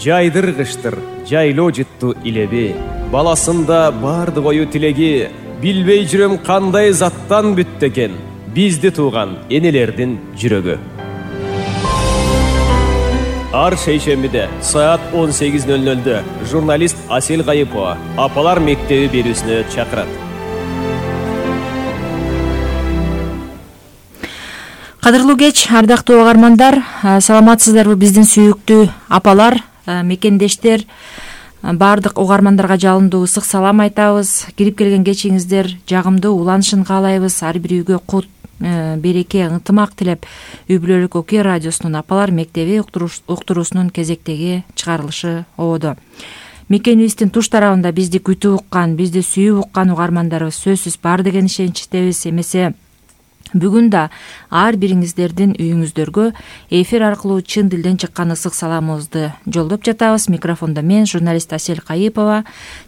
Жайдыргыштыр, жайлоо жытту илеби. Баласында барды ою тилеги. Билбей жүрөм кандай заттан бүттү экен бизди тууган энелердин жүрөгү. Ар шейшембиде саат 18:00 журналист Асел Кайыпова Апалар мектеби берүүсүнө чакырат. Кадырлуу кеч, ардактуу угармандар, саламатсыздарбы биздин сүйүктүү апалар, мекендештер, баардык угармандарга жалындуу ысык салам айтабыз. Кирип келген кечиңиздер жагымдуу уланышын каалайбыз. Ар бир үйгө кут, береке, ынтымак тилеп, Үй бүлөлүк Окуя радиосунун Апалар мектеби уктуруусунун кезектеги чыгарылышы ободо. Мекенибиздин туш тарабында бизди күтүп уккан, бизди сүйүп уккан угармандарыбыз сөзсүз бар деген ишеничтебиз. Эмесе бүгүн да ар бириңиздердин үйүңүздөргө эфир аркылуу чын дилден чыккан ысык саламыбызды жолдоп жатабыз. Микрофондо мен, журналист Асел Кайыпова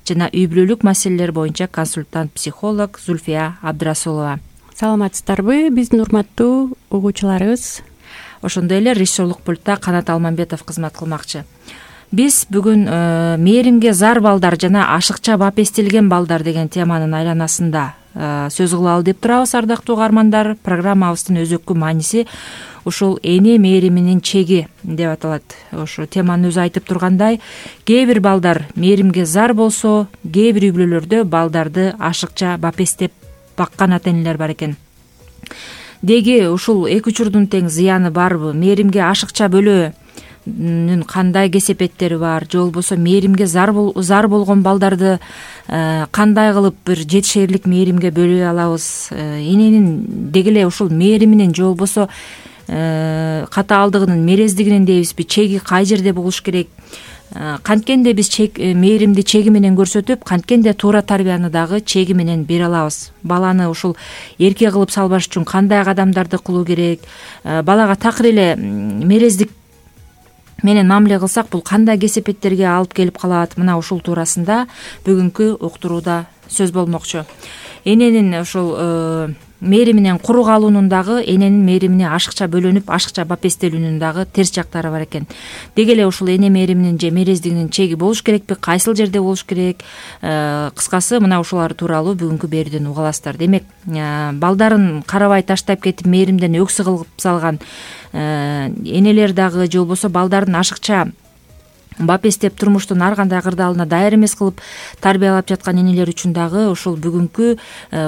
жана үй бүлөлүк маселелер боюнча консультант психолог Зульфия Абдрасулова. Саламатсыздарбы биздин урматтуу угуучуларыбыз. Ошондой эле режиссерлук пультта Канат Алмамбетов кызмат кылмакчы. Биз бүгүн мээримге зар балдар жана ашыкча бап эстелген балдар деген теманын айланасында сөз кылалы деп турабыз, ардактуу угармандар. Программабыздын өзөккү мааниси ушул эне мээриминин чеги деп аталат. Ошо теманын өзү айтып тургандай, кээ бир балдар мээримге зар болсо, кээ бир үй бүлөлөрдө балдарды ашыкча бап эстеп баккан ата энелер бар экен. Деги ушул эки учурдун тең зыяны барбы? Мээримге ашыкча бөлүүнүн кандай кесепеттери бар? Же болбосо мээримге зар болгон балдарды кандай кылып бир жетишээрлик мээримге бөлөй алабыз? Эненин деги эле ушул мээриминин же болбосо катаалдыгынын, мерездигинин дейбизби, чеги кай жерде болуш керек? Канткенде биз мээримди чеги менен көрсөтүп, канткенде туура тарбияны дагы чеги менен бере алабыз. Баланы ушул эрке кылып салбаш үчүн кандай кадамдарды кылуу керек? Балага такыр эле мерездик менен мамиле кылсак, бул кандай кесепеттерге алып келип калат? Мына ушул туурасында бүгүнкү уктурууда сөз болмокчу. Эненин ушул мээриминен куру калуунун дагы, эненин мээримине ашыкча бөлөнүп, ашыкча бап эстелүүнүн дагы терс жактары бар экен. Деги эле ушул эне мээриминин же мерездигинин чеги болуш керекпи? Кайсыл жерде болуш керек? Кыскасы мына ушулар тууралуу бүгүнкү берүүдөн уга аласыздар. Демек, балдарын карабай таштап кетип мээримден өксү кылып салган энелер дагы, же болбосо балдарын ашыкча бап эстеп турмуштун ар кандай кырдаалына даяр эмес кылып тарбиялап жаткан энелер үчүн дагы ушул бүгүнкү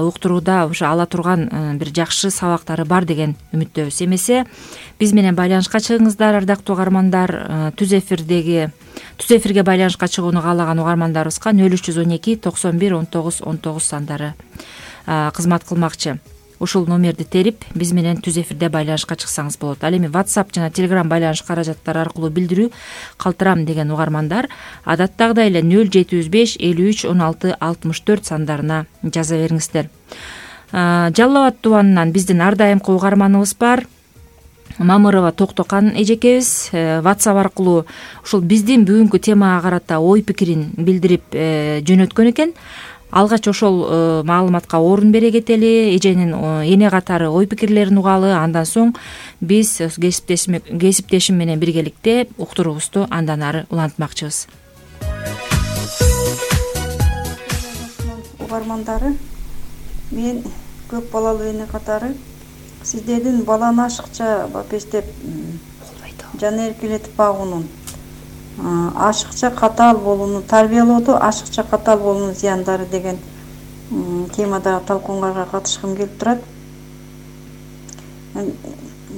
уктурууда ошо ала турган бир жакшы сабактары бар деген үмүттөбүз. Эмесе биз менен байланышка чыгыңыздар, ардактуу угармандар. Түз эфирге байланышка чыгууну каалаган угармандарыбызга 0312 91 19 19 сандары кызмат кылмакчы. Ушул номерди терип биз менен түз эфирде байланышка чыксаңыз болот. Ал эми WhatsApp жана Telegram байланыш каражаттары аркылуу билдирүү калтырам деген угармандар адаттагыдай эле 075 53 16 64 сандарына жаза бериңиздер. Жалал Абад тубанынан биздин ар дайымкы угарманыбыз бар. Мамырова Токтокан эжекебиз WhatsApp аркылуу ушул биздин бүгүнкү темага карата ой пикирин билдирип жөнөткөн экен. Алгач ошол маалыматка орун бере кетели, эженин эне катары ой пикирлерин угалы. Андан соң биз кесиптешим менен биргеликте уктуруубузду андан ары улантмакчыбыз. Угармандары, мен көп балалуу эне катары сиздердин баланы ашыкча бап эстеп жана эркелетип багуунун, ашыкча катаал болуунун, тарбиялоодо ашыкча катаал болуунун зыяндары деген темада талкуунга катышкым келип турат.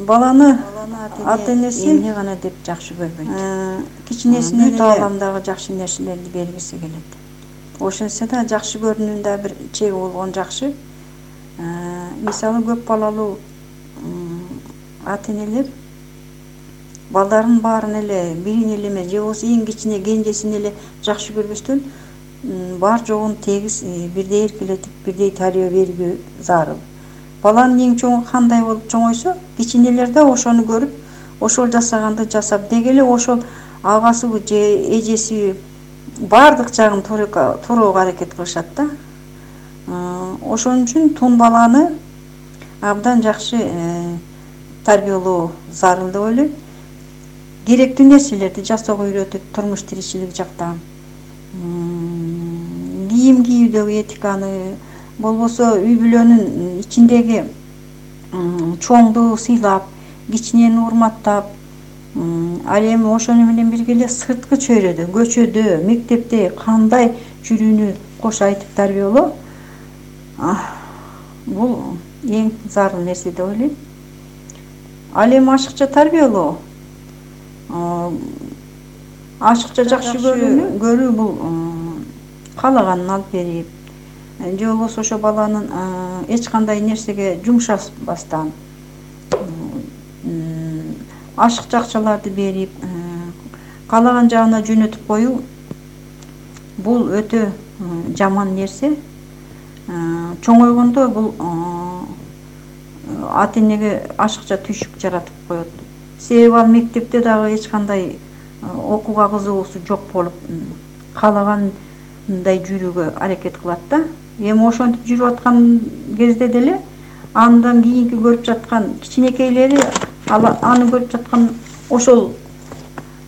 Баланы ата энеси эмне гана деп жакшы көрбөйт. Кичинесинен тааламдагы жакшы нерселерди бергиси келет. Ошентсе да жакшы көрүүнүн да бир чеги болгон жакшы. Мисалы көп балалуу ата энелер балдарын баарын эле бирин эле эмес, же болбосо эң кичине кенжесин эле жакшы көрбөстөн бар жогун тегиз бирдей эркелетип, бирдей тарбия берүү зарыл. Баланын эң чоңу кандай болуп чоңойсо, кичинелер да ошону көрүп, ошол жасаганды жасап, деги эле ошол агасыбы же эжеси бардык жагын туурууга аракет кылышат да. Ошон үчүн тун баланы абдан жакшы тарбиялоо зарыл деп ойлойм. керектүү нерселерди жасоого үйрөтүп, турмуш тиричилик жакта кийим кийүүдөгү этиканы, болбосо үй бүлөнүн ичиндеги чоңду сыйлап, кичинени урматтап, ал эми ошону менен бирге эле сырткы чөйрөдө, көчөдө, мектепте кандай жүрүүнү кош айтып тарбиялоо бул эң зарыл нерсе деп ойлойм. Ал эми ашыкча тарбиялоо, ашыкча жакшы көрүү бул каалаганын алып берип, же болбосо ошо баланын эч кандай нерсеге жумшашпастан ашыкча акчаларды берип, каалаган жагына жөнөтүп коюу бул өтө жаман нерсе. Чоңойгондо бул ата энеге ашыкча түйшүк жаратып коет. Себеби ал мектепте дагы эч кандай окууга кызыгуусу жок болуп, каалагандай жүрүүгө аракет кылат да. Эми ошентип жүрүп аткан кезде деле андан кийинки көрүп жаткан кичинекейлери аны көрүп жаткан ошол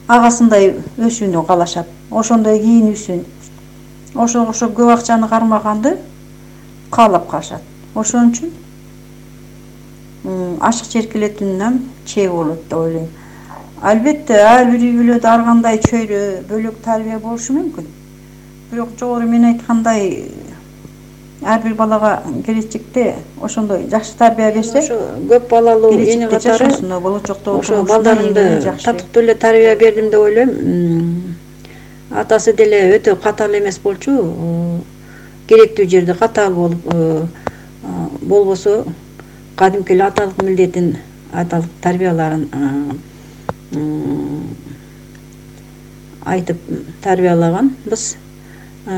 агасындай өсүүнү каалашат, ошондой кийинүүсүн, ошого окшоп көп акчаны кармаганды каалап калышат. Ошон үчүн ашыкча эркелетүүнүн чеги болот деп ойлойм. Албетте ар бир үй бүлөдө ар кандай чөйрө, бөлөк тарбия болушу мүмкүн. Бирок жогору мен айткандай ар бир балага келечекте ошондой жакшы тарбия берсе, ошо көп балалуу эне катары ошо балдарымды татыктуу эле тарбия бердим деп ойлойм. Атасы деле өтө катаал эмес болчу, керектүү жерде катаал болуп, болбосо кадимки эле аталык милдетин, аталык тарбияларын айтып тарбиялаганбыз.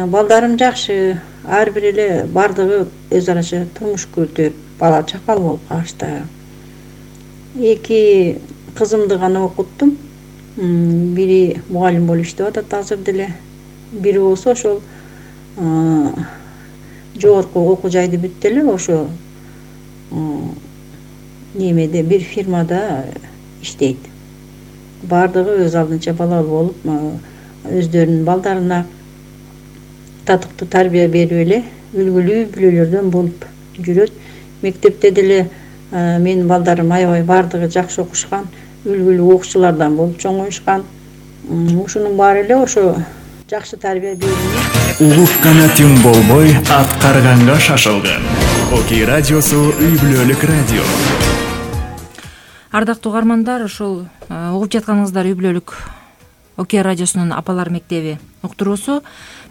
Балдарым жакшы, ар бир эле бардыгы өз араша турмуш күрүтүп, бала чакал болуп калышты. 2 кызымды гана окуттум. Бири мугалим болуп иштеп атат азыр деле. Бири болсо ошол жогорку окуу жайды бүттү эле, ошо немеде бир фирмада иштейт. Бардыгы өз алдынча балалуу болуп, өздөрүнүн балдарына татыктуу тарбия берип эле үлгүлүү бүлөлөрдөн болуп жүрөт. Мектепте деле менин балдарым аябай бардыгы жакшы окушкан, үлгүлүү окуучулардан болуп чоңоюшкан. Ушунун баары эле ошо жакшы тарбия берилип, улук канатың болбой аткарганга шашылган. Окей радиосу үй бүлөлүк радио. Ардактуу угармандар, ушул угуп жатканыңыздар үй бүлөлүк Окей радиосунун апалар мектеби уктуруусу.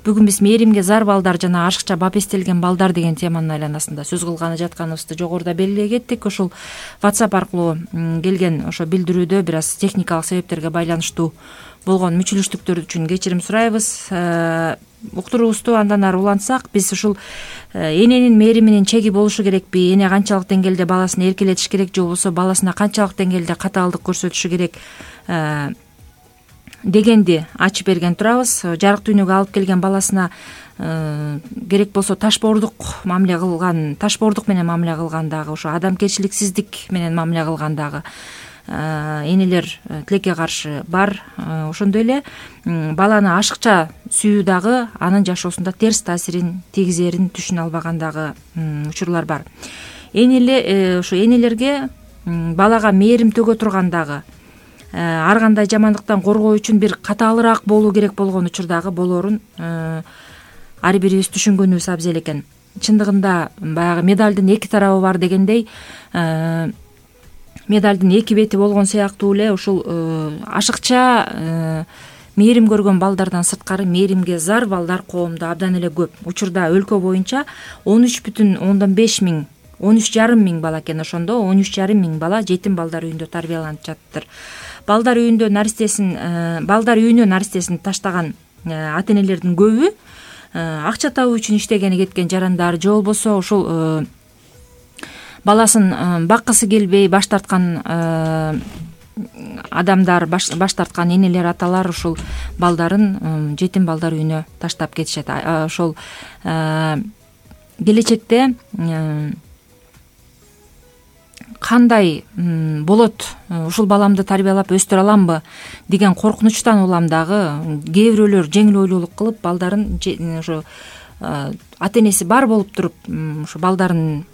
Бүгүн биз мээримге зар балдар жана ашыкча бапестелген балдар деген теманын айланасында сөз кылганы жатканыбызды жогоруда белгилей кеттик. Ушул WhatsApp аркылуу келген ошо билдирүүдө бир аз техникалык себептерге байланыштуу болгон мүчүлүштүктөр үчүн кечирим сурайбыз. Уктуруубузду андан ары улантсак, биз ушул эненин мээриминин чеги болушу керекпи, эне канчалык деңгээлде баласын эркелетиш керек, же болбосо баласына канчалык деңгээлде катаалдык көрсөтүшү керек дегенди ачып берген турабыз. Жарык дүйнөгө алып келген баласына керек болсо ташбоордук менен мамиле кылган дагы, ошо адамгерчиликсиздик менен мамиле кылган дагы энелер тилекке каршы бар. Ошондой эле баланы ашыкча сүйүү дагы анын жашоосунда терс таасирин тийгизерин түшүнө албаган дагы учурлар бар. Ошо энелерге балага мээрим төгө турган дагы, ар кандай жамандыктан коргоо үчүн бир катаалыраак болуу керек болгон учурдагы болоорун ар бирибиз түшүнгөнүбүз абзел экен. Чындыгында баягы медалдын 2 тарабы бар дегендей, медалдын 2 бети болгон сыяктуу эле ушул ашыкча мээрим көргөн балдардан сырткары мээримге зар балдар коомдо абдан эле көп. Учурда өлкө боюнча 13,5 миң, 13,5 миң бала экен. Ошондо 13,5 миң бала жетим балдар үйүндө тарбияланып жатыптыр. Балдар үйүнө наристесин таштаган ата энелердин көбү акча табуу үчүн иштегени кеткен жарандар, же болбосо ушул баласын баккысы келбей баш тарткан адамдар, баш тарткан энелер, аталар ушул балдарын жетим балдар үйүнө таштап кетишет. Ошол келечекте кандай болот, ушул баламды тарбиялап өстүрө аламбы деген коркунучтан улам дагы кээ бирөөлөр жеңил ойлуулук кылып балдарын ошо ата энеси бар болуп туруп ошо балдарын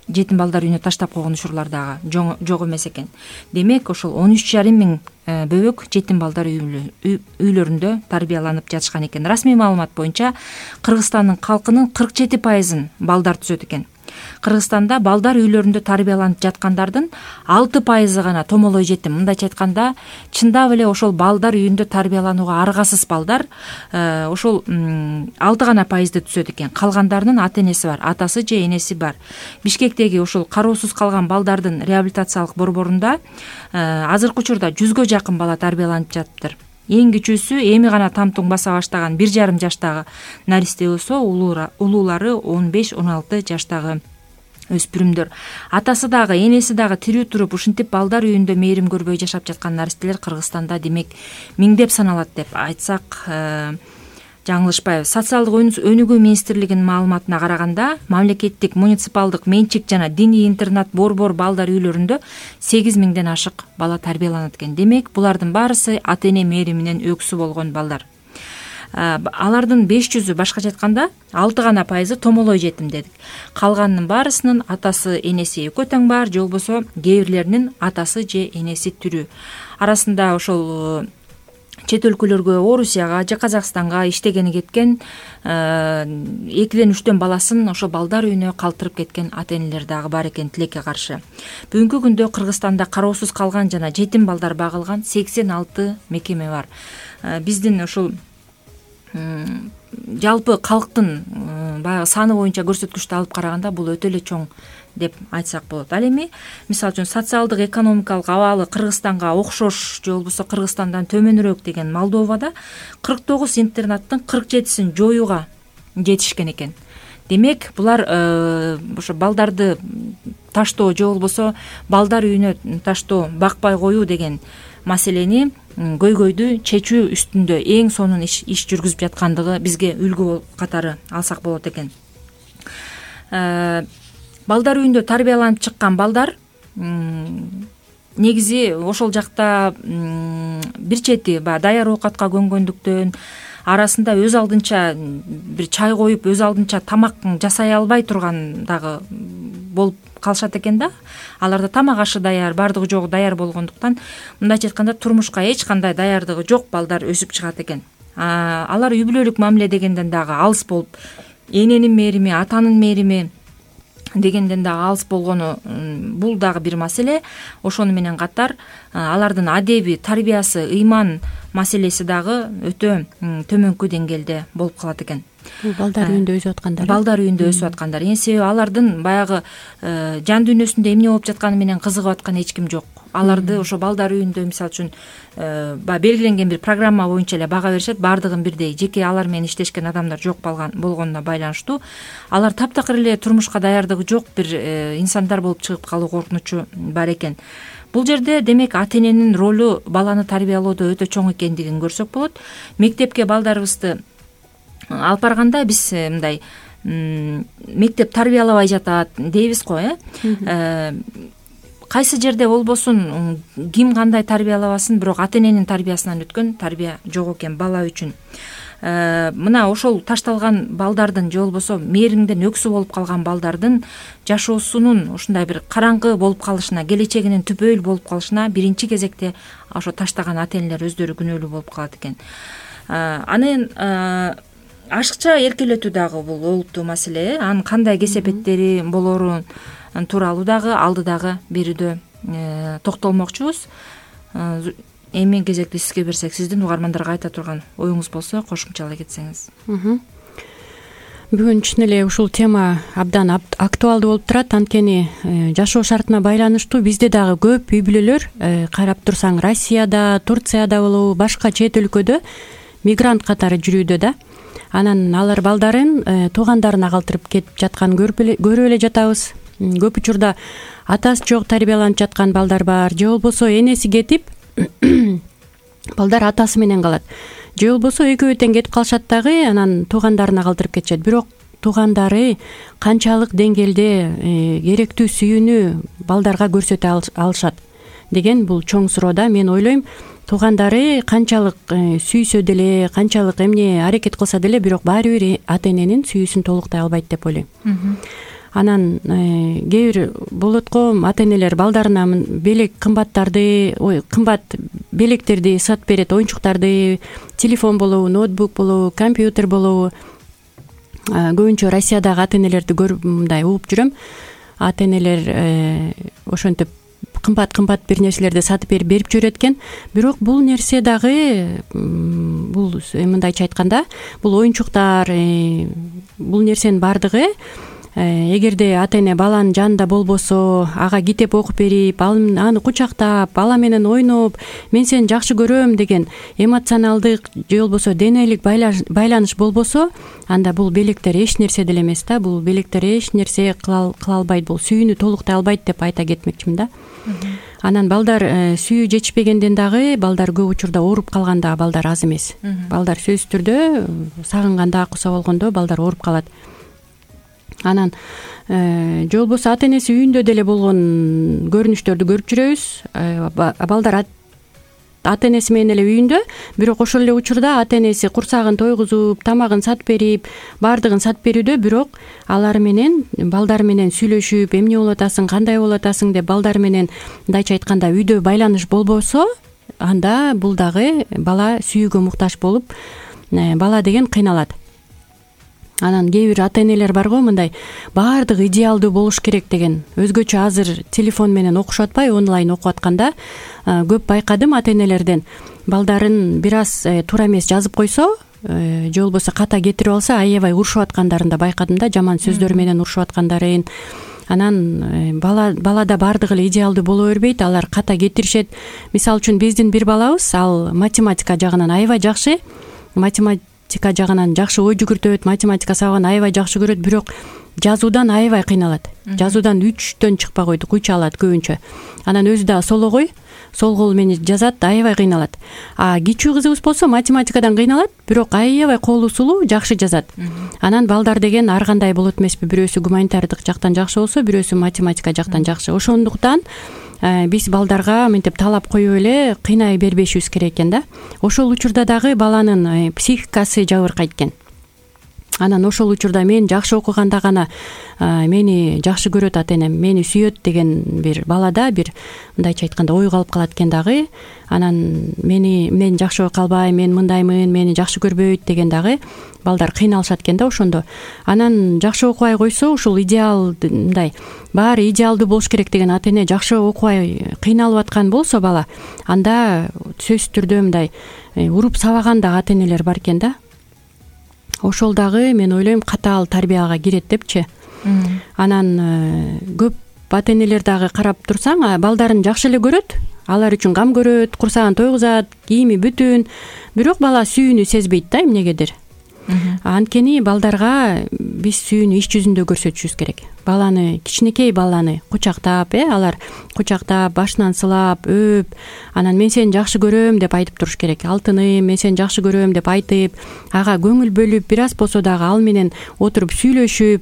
жетим балдар үйүнө таштап койгон учурлар дагы жок эмес экен. Демек ошол 13,5 миң бөбөк жетим балдар үйлөрүндө тарбияланып жатышкан экен. Расмий маалымат боюнча Кыргызстандын калкынын 47% балдар түзөт экен. Кыргызстанда балдар үйлөрүндө тарбияланып жаткандардын 6% гана томолой жетим. Мындайча айтканда, чындап эле ошол балдар үйүндө тарбияланууга аргасыз балдар ошол 6 гана пайызды түзөт экен. Калгандарынын ата энеси бар, атасы же энеси бар. Бишкектеги ошол кароосуз калган балдардын реабилитациялык борборунда азыркы учурда 100гө жакын бала тарбияланып жатыптыр. Эң кичүүсү эми гана тамтуң баса баштаган 1,5 жаштагы наристе болсо, улуулары 15-16 жаштагы өспүрүмдөр. Атасы дагы, энеси дагы тирүү туруп ушинтип балдар үйүндө мээрим көрбөй жашап жаткан наристелер Кыргызстанда демек миңдеп саналат деп айтсак жаңылышпайбыз. Социалдык өнүгүү министрлигинин маалыматына караганда, мамлекеттик, муниципалдык, менчик жана диний интернат борбор балдар үйлөрүндө 8 миңден ашык бала тарбияланат экен. Демек, булардын баарысы ата эне мээриминен өксү болгон балдар. Алардын 500-ü башкача айтканда 6 гана пайызы томолой жетим дедик. Калганынын баарысынын атасы, энеси экөө тең бар, же болбосо кээ бирлеринин атасы же энеси тирүү. Арасында ошол чет өлкөлөргө, Орусияга же Казакстанга иштегени кеткен 2-3 баласын ошо балдар үйүнө калтырып кеткен ата энелер дагы бар экен тилекке каршы. Бүгүнкү күндө Кыргызстанда кароосуз калган жана жетим балдар багылган 86 мекеме бар. Биздин ошол жалпы калктын баягы саны боюнча көрсөткүчтү алып караганда бул өтө эле чоң деп айтсак болот. Ал эми мисалы үчүн социалдык экономикалык абалы Кыргызстанга окшош же болбосо Кыргызстандан төмөнүрөөк деген Молдовада 49 интернаттын 47-син жоюуга жетишкен экен. Демек, булар ошо балдарды таштоо же болбосо балдар үйүнө таштоо, бакпай коюу деген маселени көйгөйдү чечүү үстүндө эң сонун иш жүргүзүп жаткандыгы бизге үлгү катары алсак болот экен. Балдар үйүндө тарбияланып чыккан балдар негизи ошол жакта бир чети даяр оокатка көнгөндүктөн, арасында өз алдынча бир чай коюп, өз алдынча тамак жасай албай турган дагы болуп калышат экен да. Аларда тамак ашы даяр, бардыгы жогу даяр болгондуктан, мындайча айтканда турмушка эч кандай даярдыгы жок балдар өсүп чыгат экен. Алар үй бүлөлүк мамиле дегенден дагы алыс болуп, эненин мээрими, атанын мээрими дегенден дагы алыс болгону бул дагы бир маселе. Ошону менен катар алардын адеби, тарбиясы, ыйман маселеси дагы өтө төмөнкү деңгээлде болуп калат экен. Балдар үйүндө өсүп аткандар. Балдар үйүндө өсүп аткандар. Себеби алардын баягы жан дүйнөсүндө эмне болуп жатканы менен кызыгып аткан эч ким жок. Аларды ошо балдар үйүндө мисалы үчүн белгиленген бир программа боюнча эле бага беришет. Бардыгын бирдей, жеке алар менен иштешкен адамдар жок болгонуна байланыштуу алар таптакыр эле турмушка даярдыгы жок бир инсандар болуп чыгып калуу коркунучу бар экен. Бул жерде демек ата эненин ролу баланы тарбиялоодо өтө чоң экендигин көрсөк болот. Мектепке балдарыбызды алып барганда биз мындай мектеп тарбиялабай жатат дейбиз го, кайсы жерде болбосун, ким кандай тарбиялабасын, бирок ата эненин тарбиясынан өткөн тарбия жок экен бала үчүн. Мына ошол ташталган балдардын же болбосо мээримден өксү болуп калган балдардын жашоосунун ушундай бир караңгы болуп калышына, келечегинин түпөйүл болуп калышына биринчи кезекте ошо таштаган ата энелер өздөрү күнөөлүү болуп калат экен. Анын ашыкча эркелетүү дагы бул олуттуу маселе. Анын кандай кесепеттери болору тууралуу дагы алдыдагы берүүдө токтолмокчубуз. Эми кезекти сизге берсек, сиздин угармандарга айта турган оюңуз болсо кошумчалай кетсеңиз. Бүгүн чын эле ушул тема абдан актуалдуу болуп турат. Анткени жашоо шартына байланыштуу бизде дагы көп үй бүлөлөр, карап турсаң Россияда, Турцияда болобу, башка чет өлкөдө мигрант катары жүрүүдө да. Анан алар балдарын туугандарына калтырып кетип жатканын көрүп эле жатабыз. Көп учурда атасы жок тарбияланып жаткан балдар бар, же болбосо энеси кетип балдар атасы менен калат. Же болбосо экөө тең кетип калышат дагы, анан туугандарына калтырып кетишет. Бирок туугандары канчалык деңгээлде керектүү сүйүүнү балдарга көрсөтө алышат деген бул чоң суроо да. Мен ойлойм туугандары канчалык сүйсө деле, канчалык эмне аракет кылса деле, бирок баары бир ата эненин сүйүүсүн толуктай албайт деп ойлойм. Анан кээ бир болот го, ата энелер балдарына белек кымбаттарды, кымбат белектерди сатып берет, оюнчуктарды, телефон болобу, ноутбук болобу, компьютер болобу. Көбүнчө Россиядагы ата энелерди көрүп мындай угуп жүрөм. Ата энелер ошентип кымбат бир нерселерди сатып берип жүрөт экен. Бирок бул нерсе дагы, бул мындайча айтканда, бул оюнчуктар, бул нерсенин баардыгы эгерде ата эне баланын жанында болбосо, ага китеп окуп берип, аны кучактап, ала менен ойноп, мен сени жакшы көрөм деген эмоционалдык же болбосо денелик байланыш болбосо, анда бул белектер эч нерсе деле эмес да. Бул белектер эч нерсе кыла албайт, бул сүйүүнү толуктай албайт деп айта кетмекчимин да. Анан балдар сүйүү жетишпегенден дагы балдар көп учурда ооруп калган дагы балдар аз эмес. Балдар сөзсүз түрдө сагынганда, куса болгондо балдар ооруп калат. Анан же болбосо ата энеси үйүндө деле болгон көрүнүштөрдү көрүп жүрөбүз. Балдар ата энеси менен эле үйүндө, бирок ошол эле учурда ата энеси курсагын тойгузуп, тамагын сатып берип, баардыгын сатып берүүдө, бирок алар менен, балдар менен сүйлөшүп, эмне болуп атасың, кандай болуп атасың деп балдар менен мындайча айтканда үйдө байланыш болбосо, анда бул дагы бала сүйүүгө муктаж болуп, бала деген кыйналат. Анан кээ бир ата энелер бар го, мындай баардыгы идеалдуу болуш керек деген. Өзгөчө азыр телефон менен окушуп атпай, онлайн окуп атканда көп байкадым ата энелерден. Балдарын бир аз туура эмес жазып койсо, же болбосо ката кетирип алса, аябай урушуп аткандарын да байкадым да, жаман сөздөр менен урушуп аткандарын. Анан балада баардыгы эле идеалдуу боло бербейт, алар ката кетиришет. Мисалы үчүн биздин бир балабыз, ал математика жагынан аябай жакшы, математика жагынан жакшы ой жүгүртөт, математика сабагын аябай жакшы көрөт, бирок жазуудан аябай кыйналат. Жазуудан 3төн чыкпай койду, куйча алат көбүнчө. Анан өзү дагы сологой, сол кол менен жазат, аябай кыйналат. Кичүү кызыбыз болсо математикадан кыйналат, бирок аябай колу сулуу, жакшы жазат. Анан балдар деген ар кандай болот эмеспи? Бирөөсү гуманитардык жактан жакшы болсо, бирөөсү математика жактан жакшы. Ошондуктан биз балдарга мынтип талап коюп эле кыйнай бербешибиз керек экен да. Ошол учурда дагы баланын психикасы жабыркайт экен. Анан ошол учурда мен жакшы окуганда гана мени жакшы көрөт ата энем, мени сүйөт деген бир балада бир мындайча айтканда ой калып калат экен дагы. Анан мен жакшы окуй албайм, мен мындаймын, мени жакшы көрбөйт деген дагы балдар кыйналышат экен да ошондо. Анан жакшы окубай койсо, ушул идеал мындай баары идеалдуу болуш керек деген ата эне жакшы окубай кыйналып аткан болсо бала, анда сөзсүз түрдө мындай уруп сабаган да ата энелер бар экен да. Ошол дагы мен ойлойм катаал тарбияга кирет депчи. Анан көп ата энелер дагы карап турсаң, балдарын жакшы эле көрөт, алар үчүн кам көрөт, курсагын тойгузат, кийими бүтүн, бирок бала сүйүүнү сезбейт да эмнегедир. Анткени балдарга биз сүйүүнү иш жүзүндө көрсөтүшүбүз керек. Баланы, кичинекей баланы кучактап, алар кучактап, башынан сылап, өп, анан мен сени жакшы көрөм деп айтып туруш керек. Алтыным, мен сени жакшы көрөм деп айтып, ага көңүл бөлүп, бир аз болсо дагы ал менен отуруп сүйлөшүп,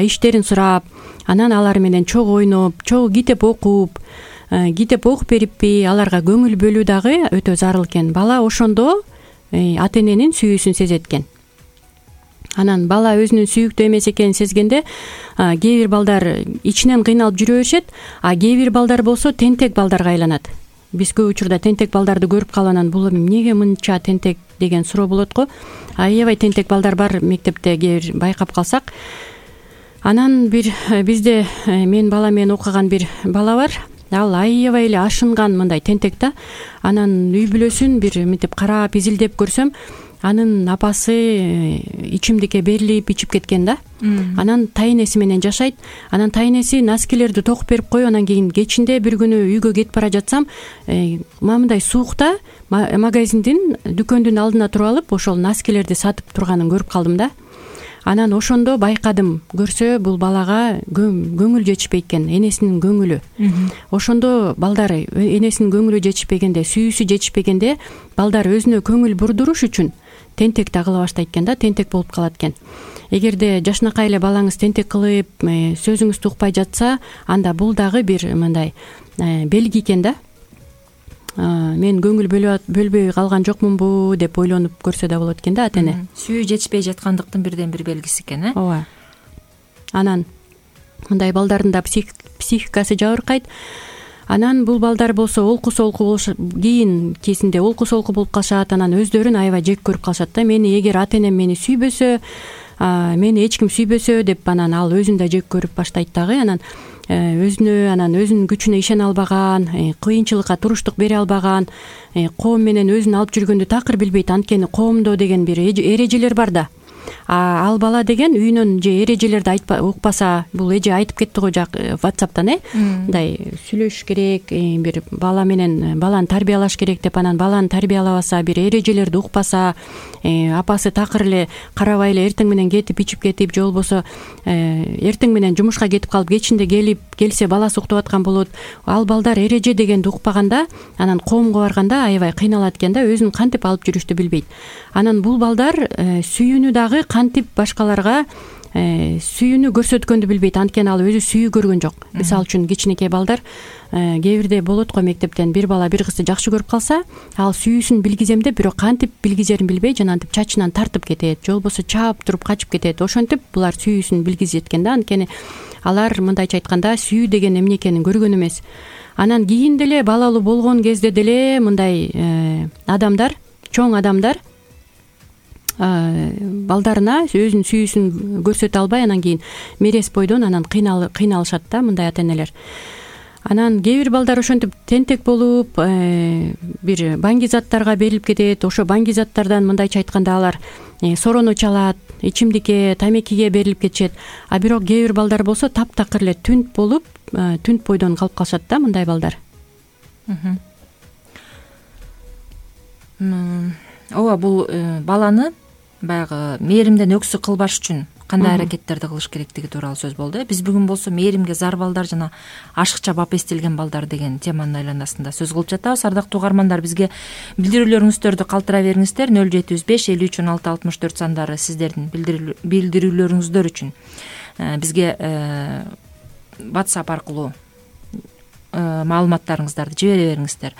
иштерин сурап, анан алар менен чогуу ойноп, чогуу китеп окуп бериппи, аларга көңүл бөлүү дагы өтө зарыл экен. Бала ошондо ата эненин сүйүүсүн сезет экен. Анан бала өзүнүн сүйүктүү эмес экенин сезгенде кээ бир балдар ичинен кыйналып жүрө беришет, кээ бир балдар болсо тентек балдарга айланат. Биз көп учурда тентек балдарды көрүп калып, анан бул эмнеге мынча тентек деген суроо болот го. Аябай тентек балдар бар мектепте, кээ бир байкап калсак. Анан бизде мен бала менен окуган бир бала бар. Ал аябай эле ашынган мындай тентек да. Анан үй бүлөсүн бир мынтип карап, изилдеп көрсөм, анын апасы ичимдикке берилип ичип кеткен да. Анан тайенеси менен жашайт. Анан тайенеси носкилерди токуп берип коюп, анан кийин кечинде бир күнү үйгө кетип бара жатсам, мындай суукта магазиндин дүкөндүн алдына туруп алып, ошол носкилерди сатып турганын көрүп калдым да. Анан ошондо байкадым, көрсө бул балага көңүл жетишпейт экен, энесинин көңүлү. Ошондо балдар энесинин көңүлү жетишпегенде, сүйүүсү жетишпегенде, балдар өзүнө көңүл бурдуруш үчүн тентек да кыла баштайт экен да, тентек болуп калат экен. Эгерде жашынакай эле балаңыз тентек кылып, сөзүңүздү укпай жатса, анда бул дагы бир мындай белги экен да. Мен көңүл бөлбөй калган жокмунбу деп ойлонуп көрсө да болот экен да ата эне. Сүйүү жетишпей жаткандыктын бирден бир белгиси экен, ооба. Анан мындай балдардын да психикасы жабыркайт. Анан бул балдар болсо олку солку болушат, кийин кезинде олку солку болуп калышат, анан өздөрүн аябай жек көрүп калышат да. Мени эгер ата энем мени сүйбөсө, мени эч ким сүйбөсө деп, анан ал өзүн да жек көрүп баштайт дагы. Анан өзүнүн күчүнө ишене албаган, кыйынчылыкка туруштук бере албаган, коом менен өзүн алып жүргөндү такыр билбейт. Анткени коомдо деген бир эрежелер бар да. Ал бала деген үйүнөн же эрежелерди укпаса, бул эже айтып кетти го WhatsApp'тан, мындай сүйлөшүш керек, бир бала менен баланы тарбиялаш керек деп, анан баланы тарбиялабаса, бир эрежелерди укпаса, апасы такыр эле карабай эле эртең менен кетип ичип кетип, же болбосо эртең менен жумушка кетип калып, кечинде келсе баласы уктап аткан болот. Ал балдар эреже дегенди укпаганда, анан коомго барганда аябай кыйналат экен да, өзүн кантип алып жүрүштү билбейт. Анан бул балдар сүйүүнү дагы кантип башкаларга сүйүүнү көрсөткөндү билбейт, анткени ал өзү сүйүү көргөн жок. Мисалы үчүн кичинекей балдар, кээ бирде болот го мектептен бир бала бир кызды жакшы көрүп калса, ал сүйүүсүн билгизем деп, бирок кантип билгизерин билбей, жанагынтип чачынан тартып кетет, же болбосо чаап туруп качып кетет. Ошентип булар сүйүүсүн билгизет экен да, анткени алар мындайча айтканда сүйүү деген эмне экенин көргөн эмес. Анан кийин деле балалуу болгон кезде деле мындай адамдар, чоң адамдар балдарына өзүнүн сүйүүсүн көрсөтө албай, анан кийин мерез бойдон анан кыйналышат да мындай ата энелер. Анан кээ бир балдар ошентип тентек болуп, бир баңги заттарга берилип кетет. Ошо баңги заттардан мындайча айтканда алар сорону чалат, ичимдикке, тамекиге берилип кетишет. А бирок кээ бир балдар болсо таптакыр эле түнт болуп, түнт бойдон калып калышат да мындай балдар. Ооба, бул баланы баягы мээримден өксү кылбаш үчүн кандай аракеттерди кылыш керектиги тууралуу сөз болду. Биз бүгүн болсо мээримге зар балдар жана ашыкча бап эстелген балдар деген теманын айланасында сөз кылып жатабыз. Ардактуу угармандар, бизге билдирүүлөрүңүздөрдү калтыра бериңиздер. 075 53 16 64 сандары сиздердин билдирүүлөрүңүздөр үчүн. Бизге WhatsApp аркылуу маалыматтарыңыздарды жибере бериңиздер.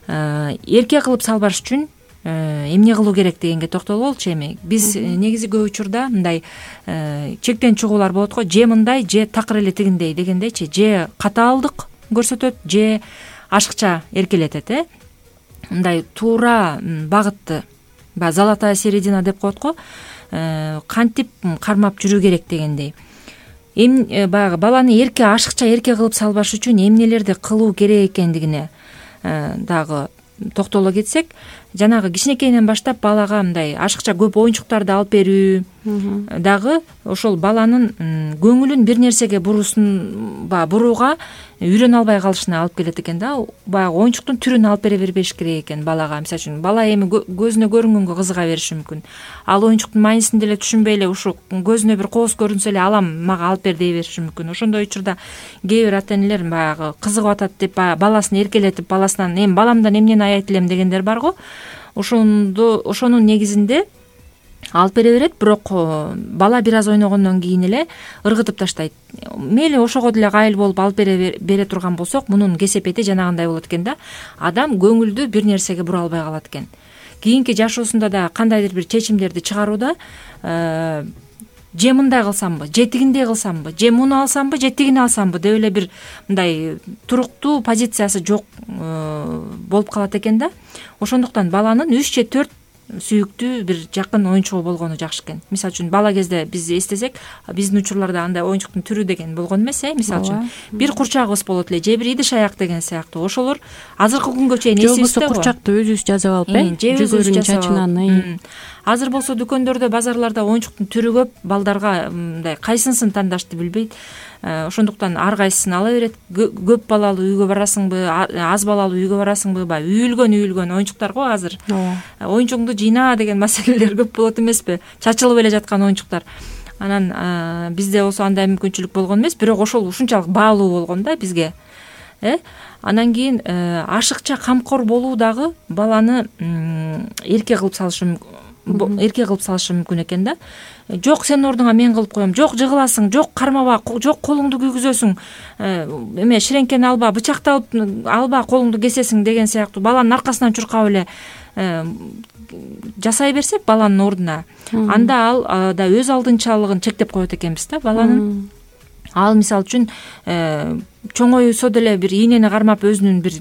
Эрке кылып салбаш үчүн эмне кылуу керек дегенге токтолуп болчу. Эми биз негизи көп учурда мындай чектен чыгуулар болот го, же мындай, же такыр эле тигиндей дегендейчи, же катаалдык көрсөтөт, же ашыкча эркелетет. Мындай туура багытты, баягы золотая середина деп коет го, кантип кармап жүрүү керек дегендей. Баягы баланы эрке, ашыкча эрке кылып салбаш үчүн эмнелерди кылуу керек экендигине дагы токтоло кетсек, жанагы кичинекейинен баштап балага мындай ашыкча көп оюнчуктарды алып берүү дагы ошол баланын көңүлүн бир нерсеге бурууга үйрөнө албай калышына алып келет экен да. Баягы оюнчуктун түрүн алып бере бербеш керек экен балага. Мисалы үчүн бала эми көзүнө көрүнгөнгө кызыга бериши мүмкүн. Ал оюнчуктун маанисин деле түшүнбөй эле ушу көзүнө бир кооз көрүнсө эле алам, мага алып бер дей бериши мүмкүн. Ошондой учурда кээ бир ата энелер баягы кызыгып атат деп баласын эркелетип, баласынан эми баламдан эмнени аять элем дегендер бар го. Ошонун негизинде алып бере берет, бирок бала бир аз ойногондон кийин эле ыргытып таштайт. Мейли ошого деле кайыл болуп алып бере турган болсок, мунун кесепети жанагындай болот экен да. Адам көңүлдү бир нерсеге бура албай калат экен. Кийинки жашоосунда да кандайдыр бир чечимдерди чыгарууда же мындай кылсамбы, же тигиндей кылсамбы, же муну алсамбы, же тигини алсамбы деп эле бир мындай туруктуу позициясы жок болуп калат экен да. Ошондуктан баланын 3 же 4 сүйүктүү бир жакын оюнчугу болгону жакшы экен. Мисалы үчүн бала кезде биз эстесек, биздин учурларда андай оюнчуктун түрү деген болгон эмес. Мисалы үчүн бир курчагыбыз болот эле, же бир идиш аяк деген сыяктуу. Ошолор азыркы күнгө чейин эсибизде го. Курчакты өзүбүз жасап алып, жүгөрүн чачынан. Азыр болсо дүкөндөрдө, базарларда оюнчуктун түрү көп, балдарга мындай кайсынысын тандашты билбейт. Ошондуктан ар кайсысын ала берет. Көп балалуу үйгө барасыңбы, аз балалуу үйгө барасыңбы, баягы үйүлгөн оюнчуктар го азыр. Оюнчугуңду жыйна деген маселелер көп болот эмеспи? Чачылып эле жаткан оюнчуктар. Анан бизде болсо андай мүмкүнчүлүк болгон эмес, бирок ошол ушунчалык баалуу болгон да бизге. Анан кийин ашыкча камкор болуу дагы баланы эрке кылып салышы эрке кылып салышы мүмкүн экен да. Жок, сенин ордуңа мен кылып коем, жок жыгыласың, жок кармаба, жок колуңду күйгүзөсүң, эме ширеңкени алба, бычакты алба, колуңду кесесиң деген сыяктуу баланын аркасынан чуркап эле жасай берсек баланын ордуна, анда ал да өз алдынчалыгын чектеп коет экенбиз да баланын. Ал мисалы үчүн чоңоюсо деле бир ийнени кармап өзүнүн бир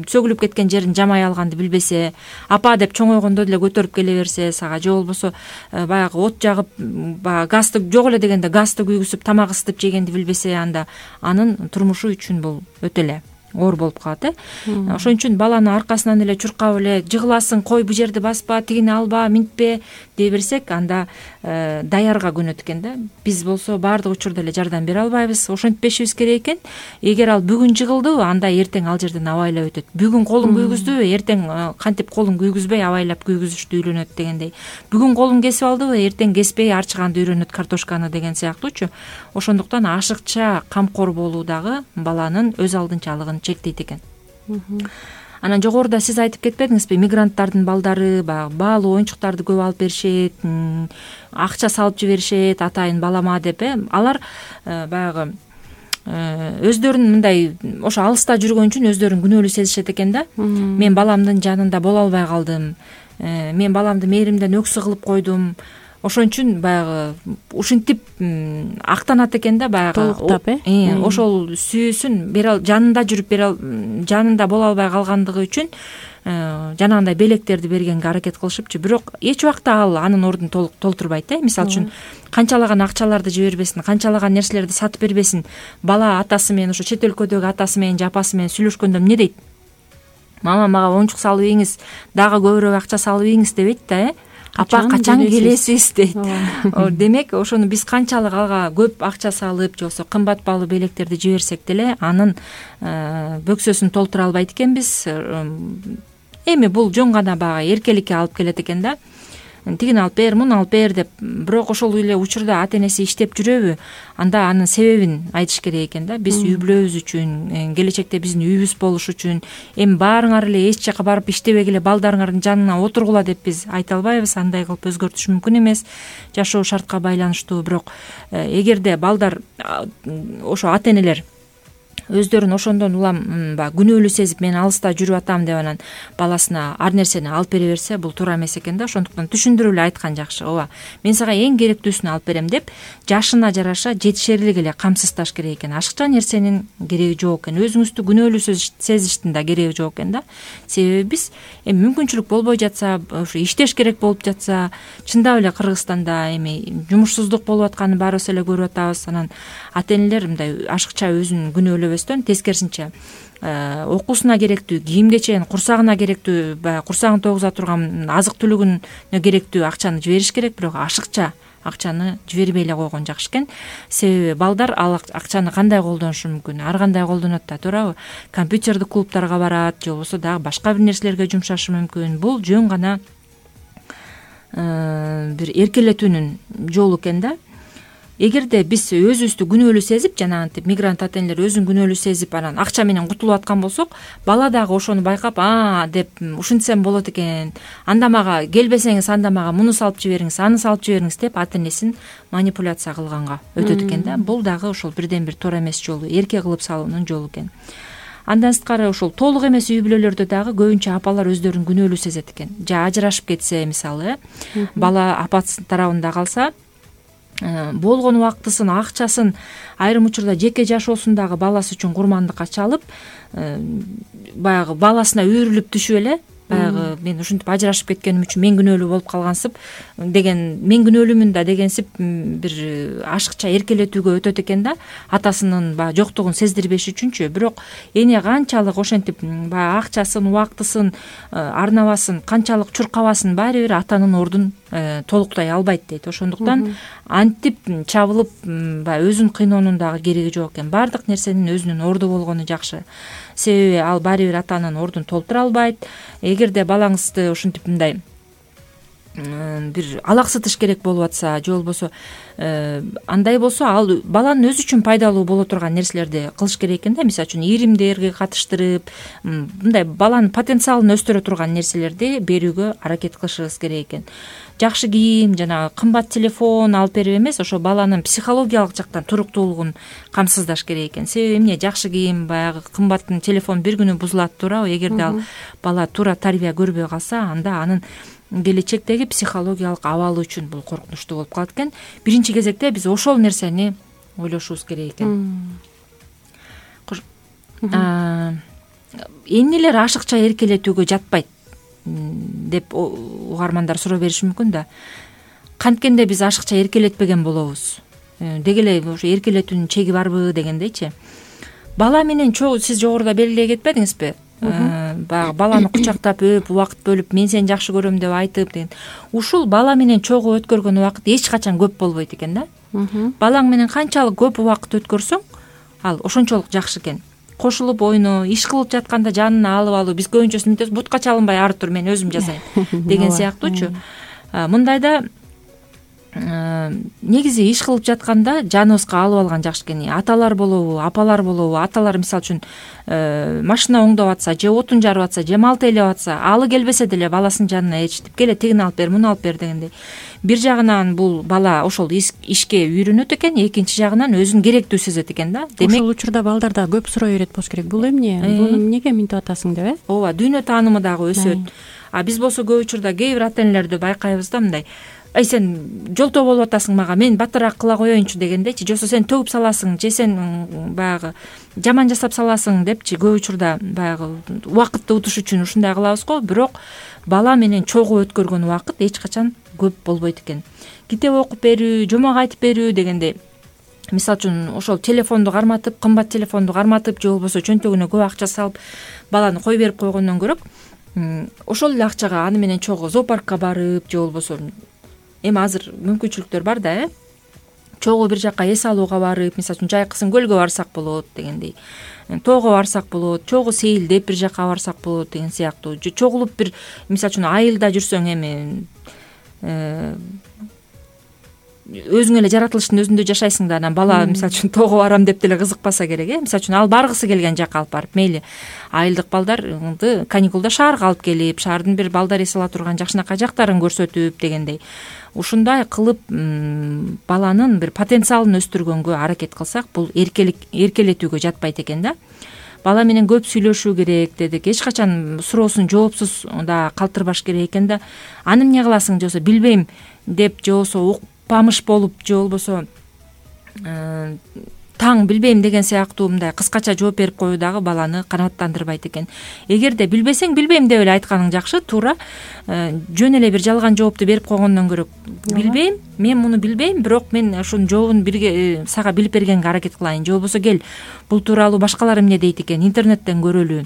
сөгүлүп кеткен жерин жамай алганды билбесе, апа деп чоңойгондо деле көтөрүп келе берсе сага, же болбосо баягы от жагып, баягы газды жок эле дегенде газды күйгүзүп тамак ысытып жегенди билбесе, анда анын турмушу үчүн бул өтө эле оор болуп калат. Ошон үчүн баланы аркасынан эле чуркап эле жыгыласың, кой бу жерди баспа, тигини алба, минтпе дей берсек, анда даярга көнөт экен да. Биз болсо баардык учурда эле жардам бере албайбыз, ошентпешибиз керек экен. Эгер ал бүгүн жыгылды, анда эртең ал жерден абайлап өтөт. Бүгүн колун күйгүздү, эртең кантип колун күйгүзбөй абайлап күйгүзүштү үйрөнөт дегендей. Бүгүн колун кесип алдыбы, эртең кеспей арчыганды үйрөнөт картошканы деген сыяктуучу. Ошондуктан ашыкча камкор болуу дагы баланын өз алдынчалыгын чектейт экен. Анан жогоруда сиз айтып кетпедиңизби, мигранттардын балдары баягы баалуу оюнчуктарды көп алып беришет, акча салып жиберишет, атайын балама деп, алар баягы өздөрүн мындай ошо алыста жүргөн үчүн өздөрүн күнөөлүү сезишет экен да. Мен баламдын жанында боло албай калдым, мен баламды мээримден өксү кылып койдум. Ошон үчүн баягы ушинтип актанат экен да, баягы толуктап, ошол сүйүүсүн жанында жүрүп жанында боло албай калгандыгы үчүн жанагындай белектерди бергенге аракет кылышыпчы. Бирок эч убакта ал анын ордун толтурбайт. Мисалы үчүн канчалаган акчаларды жибербесин, канчалаган нерселерди сатып бербесин, бала атасы менен, ошо чет өлкөдөгү атасы менен же апасы менен сүйлөшкөндө эмне дейт? Мама, мага оюнчук салып ийиңиз, дагы көбүрөөк акча салып ийиңиз дебейт да, апа качан келесиз дейт. Демек, ошону биз канчалык алга көп акча салып, же болбосо кымбат баалуу белектерди жиберсек деле анын бөксөсүн толтура албайт экенбиз. Эми бул жөн гана баягы эркеликке алып келет экен да. Тигини алып бер, муну алып бер деп. Бирок ошол эле учурда ата энеси иштеп жүрөбү? Анда анын себебин айтыш керек экен да. Биз үй бүлөбүз үчүн, келечекте биздин үйүбүз болуш үчүн, эми баарыңар эле эч жака барып иштебегиле балдарыңардын жанына отургула деп биз айта албайбыз. Андай кылып өзгөртүш мүмкүн эмес, жашоо шартка байланыштуу. Бирок эгерде балдар ошо ата энелер өздөрүн ошондон улам баягы күнөөлүү сезип, мен алыста жүрүп атам деп анан баласына ар нерсени алып бере берсе, бул туура эмес экен да. Ошондуктан түшүндүрүп эле айткан жакшы. Ооба, мен сага эң керектүүсүн алып берем деп, жашына жараша жетишерлик эле камсыздаш керек экен. Ашыкча нерсенин кереги жок экен. Өзүңүздү күнөөлүү сезиштин да кереги жок экен да. Себеби биз эми мүмкүнчүлүк болбой жатса, ошо иштеш керек болуп жатса, чындап эле Кыргызстанда эми жумушсуздук болуп атканын баарыбыз эле көрүп атабыз. Анан ата энелер мындай ашыкча өзүн күнөөлөбөстөн, тескерисинче окуусуна керектүү, кийим кечен, курсагына керектүү, баягы курсагын тогуза турган азык түлүгүнө керектүү акчаны жибериш керек. Бирок ашыкча акчаны жибербей эле койгон жакшы экен. Себеби балдар ал акчаны кандай колдонушу мүмкүн? Ар кандай колдонот да, туурабы? Компьютердик клубтарга барат, же болбосо дагы башка бир нерселерге жумшашы мүмкүн. Бул жөн гана бир эркелетүүнүн жолу экен да. Эгерде биз өзүбүздү күнөөлүү сезип, жанагынтип мигрант ата энелер өзүн күнөөлүү сезип, анан акча менен кутулуп аткан болсок, бала дагы ошону байкап, деп ушинтсем болот экен, анда мага келбесеңиз, анда мага муну салып жибериңиз, аны салып жибериңиз деп ата энесин манипуляция кылганга өтөт экен да. Бул дагы ошол бирден бир туура эмес жолу, эрке кылып салуунун жолу экен. Андан сырткары ошол толук эмес үй бүлөлөрдө дагы көбүнчө апалар өздөрүн күнөөлүү сезет экен. Же ажырашып кетсе, мисалы, бала апасы тарабында калса, болгон убактысын, акчасын айрым учурда жеке жашоосундагы баласы үчүн курмандыкка чалып, баягы баласына үйрүлүп түшүп эле, баягы мен ушинтип ажырашып кеткеним үчүн мен күнөөлүү болуп калгансып деген, мен күнөөлүүмүн да дегенсип бир ашыкча эркелетүүгө өтөт экен да, атасынын баягы жоктугун сездирбеш үчүнчү. Бирок эне канчалык ошентип баягы акчасын, убактысын, арнабасын канчалык чуркабасын, баары бир атанын ордун толуктай албайт дейт. Ошондуктан антип чабылып баягы өзүн кыйноонун дагы кереги жок экен. Баардык нерсенин өзүнүн орду болгону жакшы. Себеби ал баары бир атанын ордун толтура албайт. Эгерде балаңызды ушинтип мындай бир алаксытыш керек болуп атса же болбосо андай болсо ал баланын өзү үчүн пайдалуу боло турган нерселерди кылыш керек экен да. Мисалы үчүн иримдерге катыштырып мындай баланын потенциалын өстүрө турган нерселерди берүүгө аракет кылышыбыз керек экен. Жакшы кийим, жанагы кымбат телефон алып берип эмес, ошо баланын психологиялык жактан туруктуулугун камсыздаш керек экен. Себеби эмне? Жакшы кийим, баягы кымбаттын телефон бир күнү бузулат, туурабы? Эгерде ал бала туура тарбия көрбөй калса, анда анын келечектеги психологиялык абалы үчүн бул коркунучтуу болуп калат экен. Биринчи кезекте биз ошол нерсени ойлошубуз керек экен. Эмнелер ашыкча эркелетүүгө жатпайт деп угармандар суроо бериши мүмкүн да. Канткенде биз ашыкча эркелетпеген болобуз. Деги эле ошо эркелетүүнүн чеги барбы дегендейчи. Бала менен чогуу сиз жогоруда белгилей кетпедиңизби? Баягы баланы кучактап өп, убакыт бөлүп, мен сени жакшы көрөм деп айтып деген. Ушул бала менен чогуу өткөргөн убакыт эч качан көп болбойт экен да. Балаң менен канчалык көп убакыт өткөрсөң, ал ошончолук жакшы экен. Кошулуп ойноо, иш кылып жатканда жанына алып алуу, биз көбүнчөсү мынтебиз, бутка чалынбай ары тур, мен өзүм жасайм деген сыяктуучу. Мындайда негизи иш кылып жатканда жаныбызга алып алган жакшы экен. Аталар болобу, апалар болобу, аталар мисалы үчүн машина оңдоп атса, же отун жарып атса, же мал тейлеп атса, алы келбесе деле баласынын жанына ээрчитип, келе тигини алып бер, муну алып бер дегендей. Бир жагынан бул бала ошол ишке үйрөнөт экен, экинчи жагынан өзүн керектүү сезет экен да. Демек ошол учурда балдарда көп суроо берет болуш керек. Бул эмне? Буну эмнеге минтип атасың деп, Ооба, дүйнө таанымы дагы өсөт. Биз болсо көп учурда кээ бир ата энелерди байкайбыз да, мындай: ай сен жолтоо болуп атасың мага, мен баттыраак кыла коеюнчу дегендейчи, же болбосо сен төгүп саласың, же сен баягы жаман жасап саласың депчи көп учурда баягы убакытты утуш үчүн ушундай кылабыз го. Бирок бала менен чогуу өткөргөн убакыт эч качан көп болбойт экен. Китеп окуп берүү, жомок айтып берүү дегендей. Мисалы үчүн ошол телефонду карматып, кымбат телефонду карматып, же болбосо чөнтөгүнө көп акча салып баланы кой берип койгондон көрө ошол эле акчага аны менен чогуу зоопаркка барып, же болбосо эми азыр мүмкүнчүлүктөр бар да, чогуу бир жака эс алууга барып, мисалы үчүн Жайкысын көлгө барсак болот дегендей, тоого барсак болот, чогуу сейилдеп бир жака барсак болот деген сыяктуу. Же чогулуп бир мисалы үчүн айылда жүрсөң, эми өзүң эле жаратылыштын өзүндө жашайсың да, анан бала мисалы үчүн тоого барам деп деле кызыкпаса керек, мисалы үчүн ал баргысы келген жакка алып барып, мейли айылдык балдарды каникулда шаарга алып келип, шаардын бир балдар эс ала турган жакшынакай жактарын көрсөтүп дегендей. Ушундай кылып баланын бир потенциалын өстүргөнгө аракет кылсак, бул эркелетүүгө жатпайт экен да. Бала менен көп сүйлөшүү керек дедик. Эч качан суроосун жоопсуз да калтырбаш керек экен да. Аны эмне кыласың, же болбосо билбейм деп, же болбосо укпамыш болуп, же болбосо таң билбейм деген сыяктуу мындай кыскача жооп берип коюу дагы баланы канааттандырбайт экен. Эгерде билбесең билбейм деп эле айтканың жакшы, туура. Жөн эле бир жалган жоопту берип койгондон көрө билбейм, мен муну билбейм, бирок мен ошонун жообун бирге сага билип бергенге аракет кылайын, же болбосо кел бул тууралуу башкалар эмне дейт экен, интернеттен көрөлү,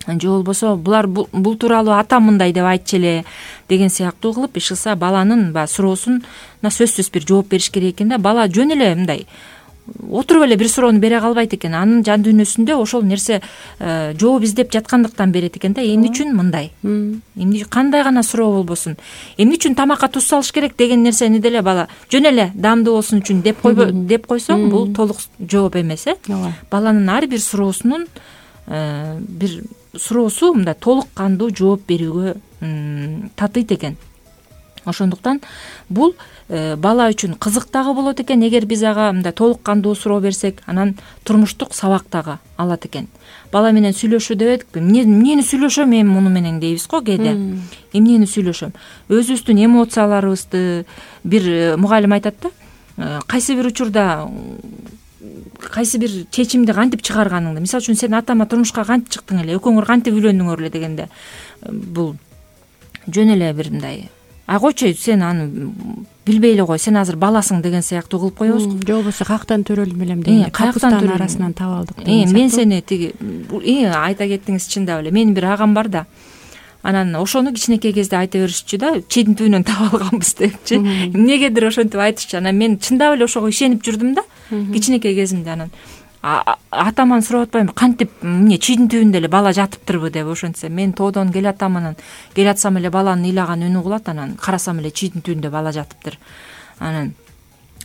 же болбосо бул тууралуу атам мындай деп айтчу эле деген сыяктуу кылып иш кылса, баланын суроосуна сөзсүз бир жооп бериш керек экен да. Бала жөн эле мындай отуруп эле бир суроону бере калбайт экен. Анын жан дүйнөсүндө ошол нерсе жооп издеп жаткандыктан берет экен да. Эмне үчүн мындай? Эмне кандай гана суроо болбосун? Эмне үчүн тамакка туз салыш керек деген нерсени деле бала жөн эле даамдуу болсун үчүн деп койсоң, бул толук жооп эмес. Баланын ар бир суроосунун бир суроосу мындай толук кандуу жооп берүүгө татыйт экен. Ошондуктан бул бала үчүн кызык дагы болот экен. Эгер биз ага мындай толук кандуу суроо берсек, анан турмуштук сабак дагы алат экен. Бала менен сүйлөшүү дебедикпи? Эмнени сүйлөшөм мен муну менен дейбиз го кээде. Эмнени сүйлөшөм? Өзүбүздүн эмоцияларыбызды бир мугалим айтат да, кайсы бир учурда кайсы бир чечимди кантип чыгарганыңды, мисалы үчүн сен атама турмушка кантип чыктың эле, экөөңөр кантип үйлөндүңөр эле дегенде, бул жөн эле бир мындай койчу, сен аны билбей эле кой, сен азыр баласың деген сыяктуу кылып коебуз. Же болбосо каяктан төрөлдүм элем дегенде, каяктан арасынан таап алдык деген. Мен сени тиги айта кеттиңиз, чындап эле. Менин бир агам бар да, анан ошону кичинекей кезде айта беришчү да, чийдин түбүнөн таап алганбыз депчи. Эмнегедир ошентип айтышчу. Анан мен чындап эле ошого ишенип жүрдүм да, кичинекей кезимде. Анан атаман сурап атпайбы, кантип эмне чийдин түбүндө эле бала жатыптырбы деп. Ошентсе мен тоодон келатам, анан келатсам эле баланын ыйлаган үнү угулат, анан карасам эле чийдин түбүндө бала жатыптыр. Анан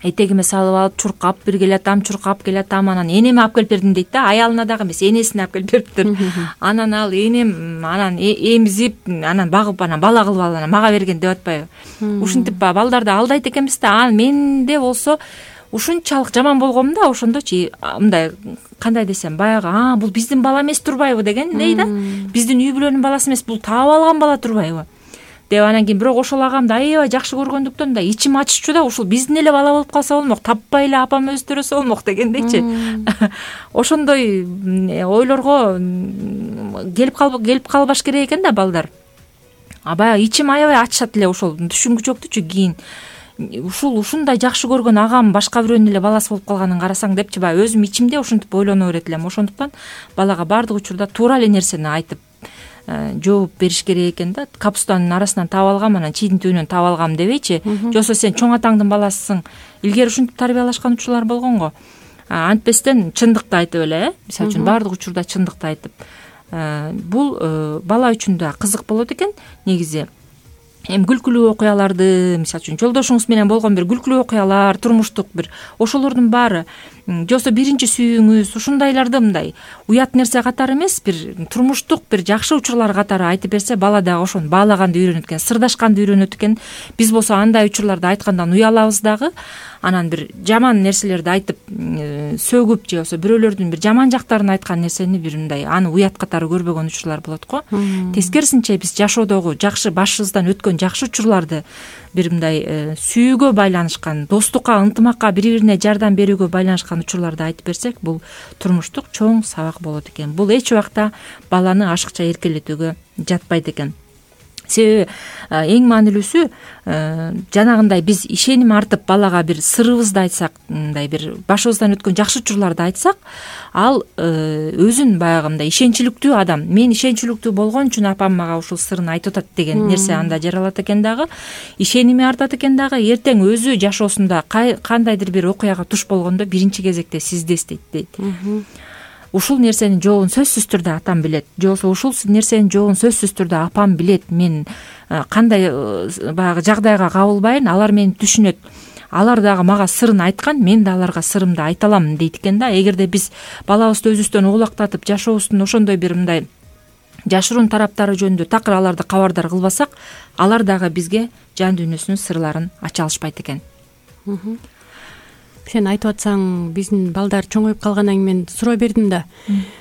этегиме салып алып чуркап бир келатам, чуркап келатам, анан энеме алып келип бердим дейт да. Аялына дагы эмес, энесине алып келип бериптир. Анан ал энем анан эмзип, анан багып, анан бала кылып алып анан мага берген деп атпайбы. Ушинтип баягы балдарды алдайт экенбиз да. Менде болсо ушунчалык жаман болгом да, ошондочу мындай кандай десем, баягы бул биздин бала эмес турбайбы дегендей да. Биздин үй бүлөнүн баласы эмес, бул таап алган бала турбайбы деп. Анан кийин бирок ошол агамды аябай жакшы көргөндүктөн да ичим аччу да, ушул биздин эле бала болуп калса болмок, таппай эле апам өстүрөсө болмок дегендейчи. Ошондой ойлорго келип калбаш керек экен да балдар. Баягы ичим аябай ачышат эле ошол түшүнгүчөктүчү кийин. Ушундай жакшы көргөн агам башка бирөөнүн эле баласы болуп калганын карасаң депчи, баягы өзүм ичимде ушинтип ойлоно берет элем. Ошондуктан балага баардык учурда туура эле нерсени айтып жооп бериш керек экен да. Капустанын арасынан таап алгам, анан чийдин түбүнөн таап алгам дебейчи. Жоксо сен чоң атаңдын баласысың. Илгери ушинтип тарбиялашкан учурлар болгон го. Антпестен чындыкты айтып эле, мисалы үчүн баардык учурда чындыкты айтып. Бул бала үчүн да кызык болот экен негизи. Эми күлкүлүү окуяларды, мисалы үчүн жолдошуңуз менен болгон бир күлкүлүү окуялар, турмуштук бир ошолордун баары, жоксо биринчи сүйүүңүз, ушундайларды мындай уят нерсе катары эмес, бир турмуштук бир жакшы учурлар катары айтып берсе, бала дагы ошону баалаганды үйрөнөт экен, сырдашканды үйрөнөт экен. Биз болсо андай учурларды айткандан уялабыз дагы. Анан бир жаман нерселерди айтып сөгүп же болбосо бирөөлөрдүн бир жаман жактарын айткан нерсени бир мындай аны уят катары көрбөгөн учурлар болот го. Тескерисинче биз жашоодогу жакшы башыбыздан өткөн жакшы учурларды бир мындай сүйүүгө байланышкан, достукка, ынтымакка, бири-бирине жардам берүүгө байланышкан учурларды айтып берсек, бул турмуштук чоң сабак болот экен. Бул эч убакта баланы ашыкча эркелетүүгө жатпайт экен. Себеби эң маанилүүсү жанагындай биз ишеним артып балага бир сырыбызды айтсак, мындай бир башыбыздан өткөн жакшы учурларды айтсак, ал өзүн баягы мындай ишенчиликтүү адам. Мен ишенчиликтүү болгон үчүн апам мага ушул сырын айтып атат деген нерсе анда жаралат экен дагы, ишеними артат экен дагы. Эртең өзү жашоосунда кандайдыр бир окуяга туш болгондо биринчи кезекте сизди эстейт дейт. Ушул нерсенин жообун сөзсүз түрдө атам билет, же болбосо ушул нерсенин жообун сөзсүз түрдө апам билет. Мен кандай баягы жагдайга кабылбайын, алар мени түшүнөт. Алар дагы мага сырын айткан, мен да аларга сырымды айта алам дейт экен да. Эгерде биз балабызды өзүбүздөн угулактатып, жашообуздун ошондой бир мындай жашыруун тараптары жөнүндө такыр аларды кабардар кылбасак, алар дагы бизге жан дүйнөсүнүн сырларын ача алышпайт экен. Сен айтып атсаң, биздин балдар чоңоюп калгандан кийин мен суроо бердим да.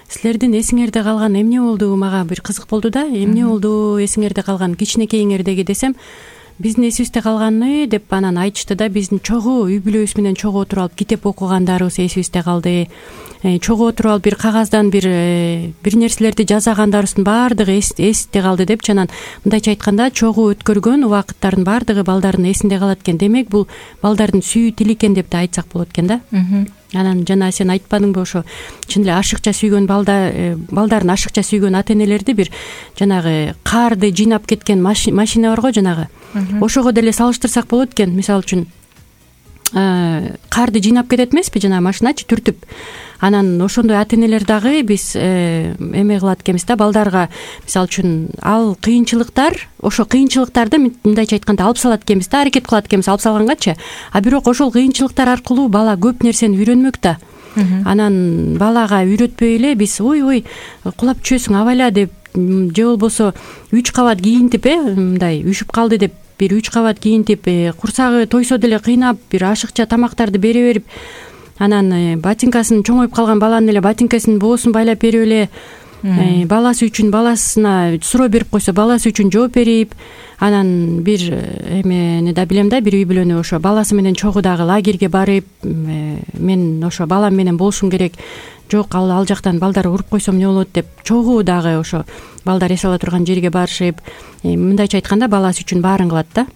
Силердин эсиңерде калган эмне болду? Мага бир кызык болду да. Эмне болду эсиңерде калган кичинекейиңердеги десем, биздин эсибизде калганы деп анан айтышты да. Биздин чогуу үй бүлөбүз менен чогуу отуруп алып китеп окугандарыбыз эсибизде калды. Чогуу отуруп алып бир кагаздан бир нерселерди жасагандарыбыздын баардыгы эсте калды деп. Анан мындайча айтканда, чогуу өткөргөн убакыттардын баардыгы балдардын эсинде калат экен. Демек, бул балдардын сүйүү тили экен деп да айтсак болот экен да. Анан жана сен айтпадыңбы, ошо чын эле ашыкча сүйгөн балдарын ашыкча сүйгөн ата энелерди бир жанагы карды жыйнап кеткен машина бар го жанагы. Ошого деле салыштырсак болот экен. Мисалы үчүн карды жыйнап кетет эмеспи жанагы машиначы түртүп. Анан ошондой ата энелер дагы биз эме кылат экенбиз да, балдарга мисалы үчүн ал кыйынчылыктар, ошо кыйынчылыктарды мындайча айтканда алып салат экенбиз да, аракет кылат экенбиз алып салгангачы. А бирок ошол кыйынчылыктар аркылуу бала көп нерсени үйрөнмөк да. Анан балага үйрөтпөй эле биз ой кулап түшөсүң абайла деп, же болбосо 3 кабат кийинтип мындай үшүп калды деп бир 3 кабат кийинтип, курсагы тойсо деле кыйнап, бир ашыкча тамактарды бере берип, анан ботинкасын чоңоюп калган баланын эле ботинкасынын боосун байлап берип эле, баласы үчүн баласына суроо берип койсо баласы үчүн жооп берип, анан бир эмени да билем да, бир үй бүлөнү ошо баласы менен чогуу дагы лагерге барып, мен ошо балам менен болушум керек, жок ал жактан балдар уруп койсом эмне болот деп, чогуу дагы ошо балдар эс ала турган жерге барышып, мындайча айтканда баласы үчүн баарын кылат да.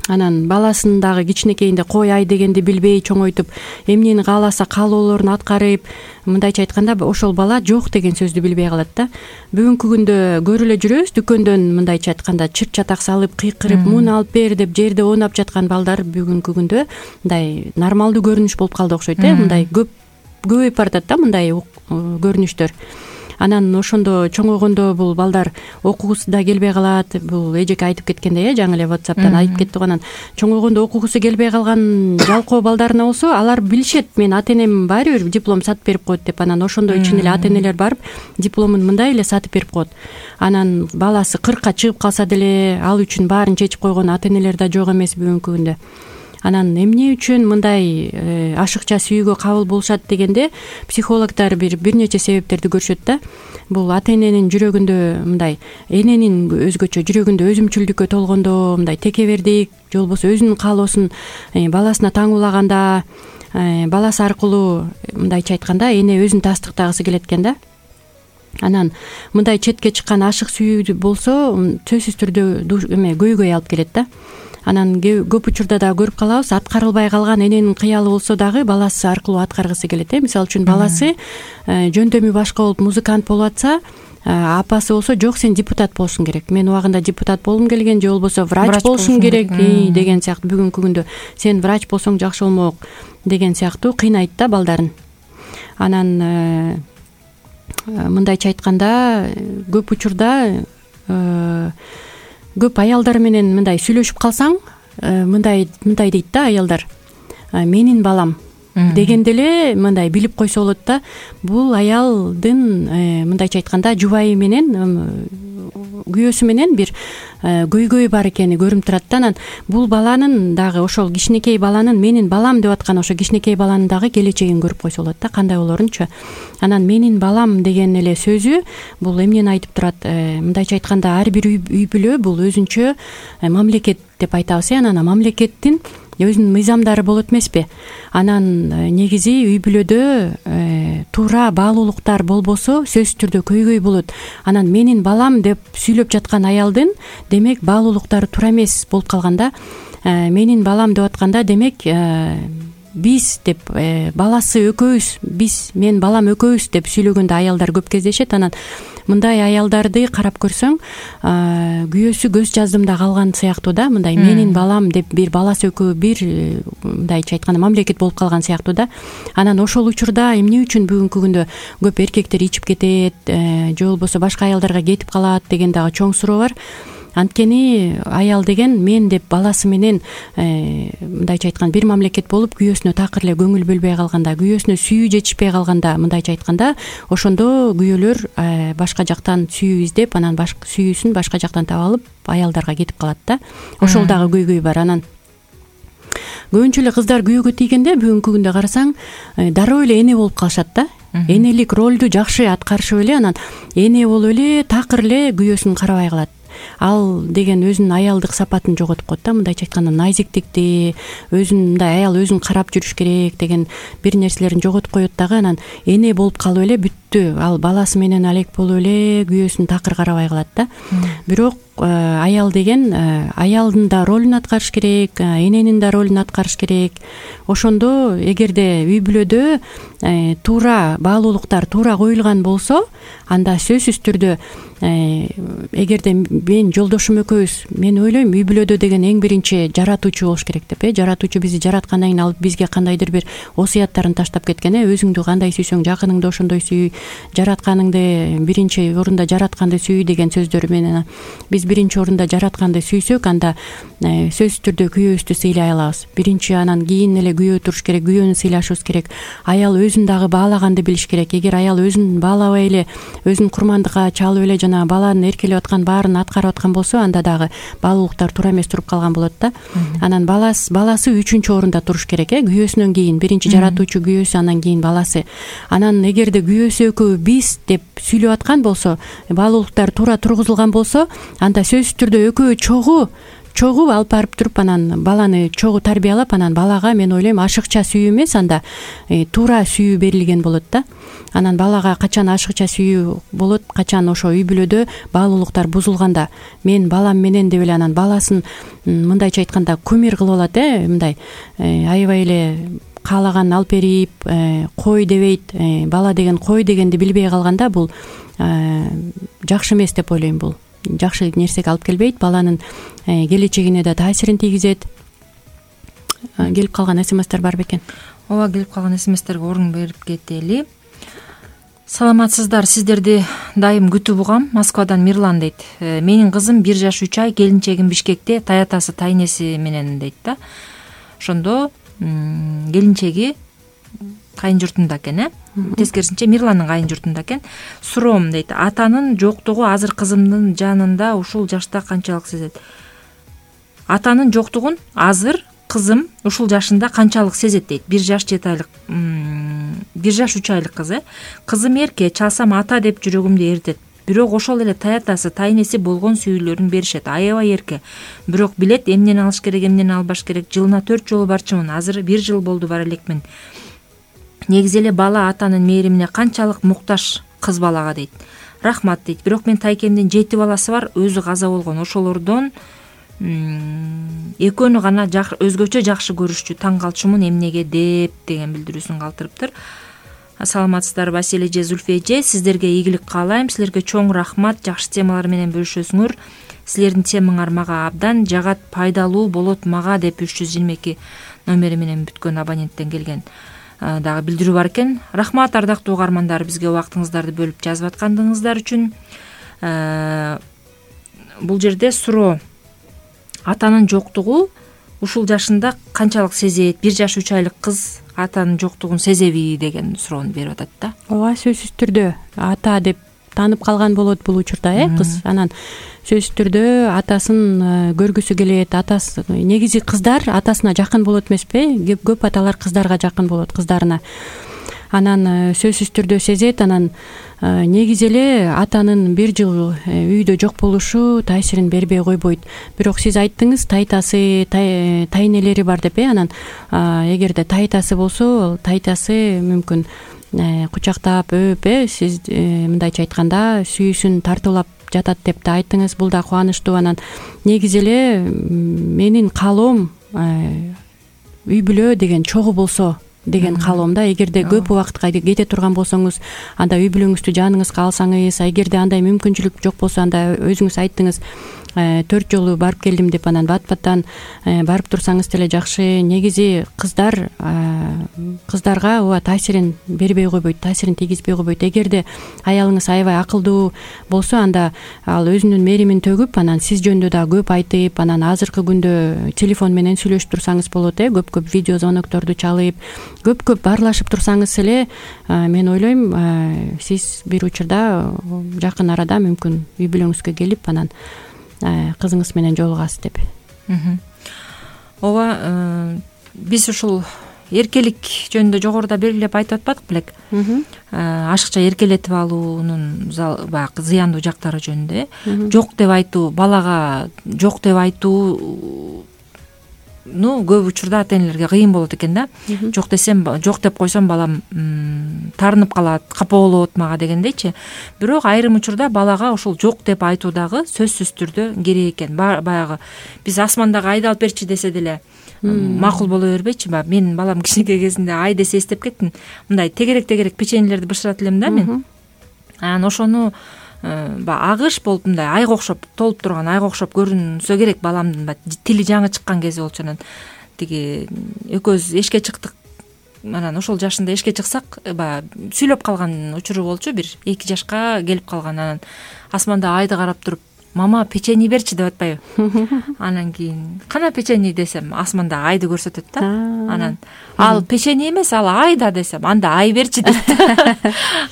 Анан баласын дагы кичинекейинде кой ай дегенди билбей чоңойтуп, эмнени кааласа каалоолорун аткарып, мындайча айтканда ошол бала жок деген сөздү билбей калат да. Бүгүнкү күндө көрүп эле жүрөбүз, дүкөндөн мындайча айтканда чырт чатак салып, кыйкырып, муну алып бер деп жерде оонап жаткан балдар бүгүнкү күндө мындай нормалдуу көрүнүш болуп калды окшойт мындай көп көбөйүп баратат да мындай көрүнүштөр. Анан ошондо чоңойгондо бул балдар окугусу да келбей калат. Бул эжеке айтып кеткендей, жаңы эле WhatsApp'тан айтып кеттик. Анан чоңойгондо окугусу келбей калган жалкоо балдарына болсо, алар билишет, мен ата энем баары бир диплом сатып берип коет деп. Анан ошондо чын эле ата энелер барып дипломун мындай эле сатып берип коет. Анан баласы 40-ка чыгып калса деле ал үчүн баарын чечип койгон ата энелер да жок эмес бүгүнкү күндө. Анан эмне үчүн мындай ашыкча сүйүүгө кабыл болушат дегенде, психологдор бир нече себептерди көрүшөт да. Бул ата эненин жүрөгүндө мындай, эненин өзгөчө жүрөгүндө өзүмчүлдүккө толгондо, мындай текебердик же болбосо өзүнүн каалоосун баласына таңуулаганда, баласы аркылуу мындайча айтканда эне өзүн тастыктагысы келет экен да. Анан мындай четке чыккан ашык сүйүү болсо, сөзсүз түрдө көйгөй алып келет да. Анан көп учурда да көрүп калабыз, аткарылбай калган эненин кыялы болсо дагы баласы аркылуу аткаргысы келет. Мисалы үчүн баласы жөндөмү башка болуп музыкант болуп атса, апасы болсо жок, сен депутат болушуң керек, мен убагында депутат болгум келген, же болбосо врач болушуң керек деген сыяктуу. Бүгүнкү күндө сен врач болсоң жакшы болмок деген сыяктуу кыйнайт да балдарын. Анан мындайча айтканда, көп учурда көп аялдар менен мындай сүйлөшүп калсаң, мындай дейт да аялдар, менин балам дегенде эле мындай билип койсо болот да, бул аялдын мындайча айтканда жубайы менен, күйөөсү менен бир көйгөй бар экени көрүнүп турат да. Анан бул баланын дагы, ошол кичинекей баланын менин балам деп аткан ошо кичинекей баланын дагы келечегин көрүп койсо болот да, кандай болорунчу. Анан менин балам деген эле сөзү бул эмнени айтып турат? Мындайча айтканда, ар бир үй бүлө бул өзүнчө мамлекет деп айтабыз. Анан мамлекеттин өзүнүн мыйзамдары болот эмеспи? Анан негизи үй бүлөдө туура баалуулуктар болбосо сөзсүз түрдө көйгөй болот. Анан менин балам деп сүйлөп жаткан аялдын демек баалуулуктары туура эмес болуп калганда, менин балам деп атканда демек биз деп баласы экөөбүз, мен балам экөөбүз деп сүйлөгөндө аялдар көп кездешет. Анан мындай аялдарды карап көрсөң, күйөөсү көз жаздымда калган сыяктуу да, мындай менин балам деп бир баласы экөө бир мындайча айтканда мамлекет болуп калган сыяктуу да. Анан ошол учурда эмне үчүн бүгүнкү күндө көп эркектер ичип кетет, же болбосо башка аялдарга кетип калат деген дагы чоң суроо бар. Анткени аял деген мен деп баласы менен мындайча айтканда бир мамлекет болуп, күйөөсүнө такыр эле көңүл бөлбөй калганда, күйөөсүнө сүйүү жетишпей калганда, мындайча айтканда, ошондо күйөөлөр башка жактан сүйүү издеп, анан сүйүүсүн башка жактан таап алып аялдарга кетип калат да. Ошол дагы көйгөй бар. Анан көбүнчө эле кыздар күйөөгө тийгенде бүгүнкү күндө карасаң, дароо эле эне болуп калышат да. Энелик ролду жакшы аткарышып эле, анан эне болуп эле такыр эле күйөөсүн карабай калат. Ал деген өзүнүн аялдык сапатын жоготуп коет да, мындайча айтканда назиктикти, мындай аял өзүн карап жүрүш керек деген бир нерселерин жоготуп коет дагы. Анан эне болуп калып эле бүттү, ал баласы менен алек болуп эле күйөөсүн такыр карабай калат да. Бирок аял деген аялдын да ролун аткарыш керек, эненин да ролун аткарыш керек. Ошондо эгерде үй бүлөдө туура баалуулуктар туура коюлган болсо, анда сөзсүз түрдө эгерде мен жолдошум экөөбүз, мен ойлойм үй бүлөдө деген эң биринчи жаратуучу болуш керек деп. Жаратуучу бизди жараткандан кийин алып бизге кандайдыр бир осуяттарын таштап кеткен. Өзүңдү кандай сүйсөң жакыныңды ошондой сүй, жаратканыңды биринчи орунда жаратканды сүй деген сөздөр менен биз биринчи орунда жаратканды сүйсөк, анда сөзсүз түрдө күйөөбүздү сыйлай алабыз. Биринчи, анан кийин эле күйөө туруш керек, күйөөнү сыйлашыбыз керек. Аял өзүн дагы баалаганды билиш керек. Эгер аял өзүн баалабай эле, өзүн курмандыкка чалып эле жана баланын эркелеп аткан баарын аткарып аткан болсо, анда дагы баалуулуктар туура эмес туруп калган болот да. Анан баласы үчүнчү орунда туруш керек, күйөөсүнөн кийин. Биринчи жаратуучу күйөөсү, анан кийин баласы. Анан эгерде күйөөсү экөө биз деп сүйлөп аткан болсо, баалуулуктар туура тургузулган болсо, анда сөзсүз түрдө экөө чогуу алып барып туруп, анан баланы чогуу тарбиялап, анан балага мен ойлойм ашыкча сүйүү эмес, анда туура сүйүү берилген болот да. Анан балага качан ашыкча сүйүү болот, качан ошо үй бүлөдө баалуулуктар бузулганда, мен балам менен деп эле анан баласын мындайча айтканда кумир кылып алат, мындай аябай эле каалаганын алып берип, кой дебейт, бала деген кой дегенди билбей калганда, бул жакшы эмес деп ойлойм. Бул жакшы нерсеге алып келбейт, баланын келечегине да таасирин тийгизет. келип калган смстер бар бекен? ооба, келип калган смстерге орун берип кетели. Саламатсыздар, сиздерди дайым күтүп угам. Москвадан Мирлан дейт. Менин кызым 1 жаш 3 ай, келинчегим Бишкекте, таятасы тайнеси менен дейт да. Ошондо келинчеги кайын журтунда экен, тескерисинче Мирландын кайын журтунда экен. Суроом дейт, атанын жоктугу азыр кызымдын жанында ушул жашта канчалык сезет? Атанын жоктугун азыр кызым ушул жашында канчалык сезет дейт. 1 жаш 7 айлык 1 жаш 3 айлык кыз. Кызым эрке, чалсам ата деп жүрөгүмдү эритет. Бирок ошол эле таятасы тайнеси болгон сүйүүлөрүн беришет. Аябай эрке. Бирок билет эмнени алыш керек, эмнени албаш керек. Жылына 4 жолу барчумун. Азыр 1 жыл болду бара элекмин. Негизи эле бала атанын мээримине канчалык муктаж кыз балага дейт. Рахмат дейт. Бирок мен тайкемдин 7 баласы бар, өзү каза болгон. Ошолордон экөөнү гана өзгөчө жакшы көрүшчү. Таң калчумун эмнеге деп деген билдирүүсүн калтырыптыр. Саламатсыздар Василий эже, Зульфия эже, сиздерге ийгилик каалайм. Силерге чоң рахмат, жакшы темалар менен бөлүшөсүңөр. Силердин темаңар мага абдан жагат, пайдалуу болот мага деп 322 номери менен бүткөн абоненттен келген дагы билдирүү бар экен. Рахмат ардактуу угармандар, бизге убактыңыздарды бөлүп жазып аткандыгыңыздар үчүн. Бул жерде суроо: атанын жоктугу ушул жашында канчалык сезет? 1 жаш 3 айлык кыз атанын жоктугун сезеби деген суроону берип атат да. Ооба, сөзсүз түрдө ата деп таанып калган болот бул учурда, кыз. Анан сөзсүз түрдө атасын көргүсү келет. Атасы негизи кыздар атасына жакын болот эмеспи? Көп аталар кыздарга жакын болот, кыздарына. Анан сөзсүз түрдө сезет. Анан негизи эле атанын 1 жыл үйдө жок болушу таасирин бербей койбойт. Бирок сиз айттыңыз, тайтасы, тайнелери бар деп. Анан эгерде тайтасы болсо, тайтасы мүмкүн кучактап, өп, сиз мындайча айтканда сүйүүсүн тартуулап жатат деп да айттыңыз. Бул да кубанычтуу. Анан негизи эле менин каалоом үй бүлө деген чогуу болсо деген каалоомда. Эгерде көп убакытка кете турган болсоңуз, анда үй бүлөңүздү жаныңызга алсаңыз, эгерде андай мүмкүнчүлүк жок болсо, анда өзүңүз айттыңыз 4 жолу барып келдим деп, анан бат-баттан барып турсаңыз деле жакшы. Негизи кыздарга ооба таасирин бербей койбойт, таасирин тийгизбей койбойт. Эгерде аялыңыз аябай акылдуу болсо, анда ал өзүнүн мээримин төгүп, анан сиз жөнүндө да көп айтып, анан азыркы күндө телефон менен сүйлөшүп турсаңыз болот, көп видео звонокторду чалып, көп баарлашып турсаңыз эле, мен ойлойм, сиз бир учурда жакын арада мүмкүн үй бүлөңүзгө келип, анан кызыңыз менен жолугасыз деп. Ооба, биз ушул эркелик жөнүндө жогоруда белгилеп айтып атпадык белек? Ашыкча эркелетип алуунун баягы зыяндуу жактары жөнүндө. Жок деп айтуу, балага жок деп айтуу көп учурда ата энелерге кыйын болот экен да. Жок десем, жок деп койсом балам таарынып калат, капа болот мага дегендейчи. Бирок айрым учурда балага ошол жок деп айтуу дагы сөзсүз түрдө керек экен. Баягы биз асмандагы айды алып берчи десе деле макул боло бербейчи. Мен балам кичинекей кезинде ай десе эстеп кеттим. Мындай тегерек беченелерди бышырат элем да мен. Анан ошону агыш болуп, мындай айга окшоп, толуп турган айга окшоп көрүнсө керек баламдын. Тили жаңы чыккан кези болчу. Анан тиги экөөбүз эшикке чыктык. Анан ошол жашында эшикке чыксак, сүйлөп калган учуру болчу. 1-2 жашка келип калган. Анан асманда айды карап туруп, мама печенье берчи деп атпайбы? Анан кийин кана печенье десем, асманда айды көрсөтөт да. Анан ал печенье эмес, ал айда десем, анда ай берчи дейт.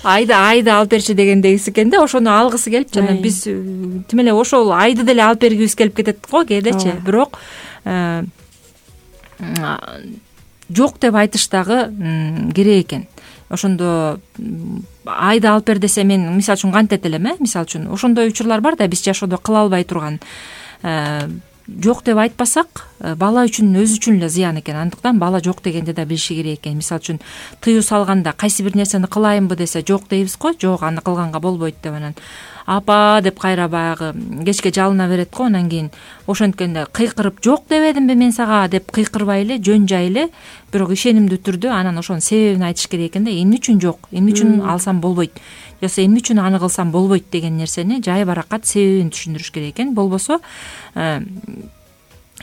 Айды алып берчи дегендегиси экен да. Ошону алгысы келип, жана биз тим эле ошол айды деле алып бергибиз келип кетет го кээдечи. Бирок жок деп айтыш дагы керек экен. Ошондо айды алып бер десе, мен мисалы үчүн кантет элем, мисалы үчүн ошондой учурлар бар да, биз жашоодо кыла албай турган. Жок деп айтпасак, бала үчүн өзү үчүн эле зыян экен. Андыктан бала жок дегенде да билиши керек экен. Мисалы үчүн тыюу салганда кайсы бир нерсени кылайынбы десе, жок дейбиз го, жок аны кылганга болбойт деп. Анан апа деп кайра баягы кечке жалына берет го. Анан кийин ошенткенде кыйкырып, жок дебедимби мен сага деп кыйкырбай эле, жөн жай эле, бирок ишенимдүү түрдө анан ошонун себебин айтыш керек экен да. Эмне үчүн жок, эмне үчүн алсам болбойт, жоксо эмне үчүн аны кылсам болбойт деген нерсени жай баракат себебин түшүндүрүш керек экен. Болбосо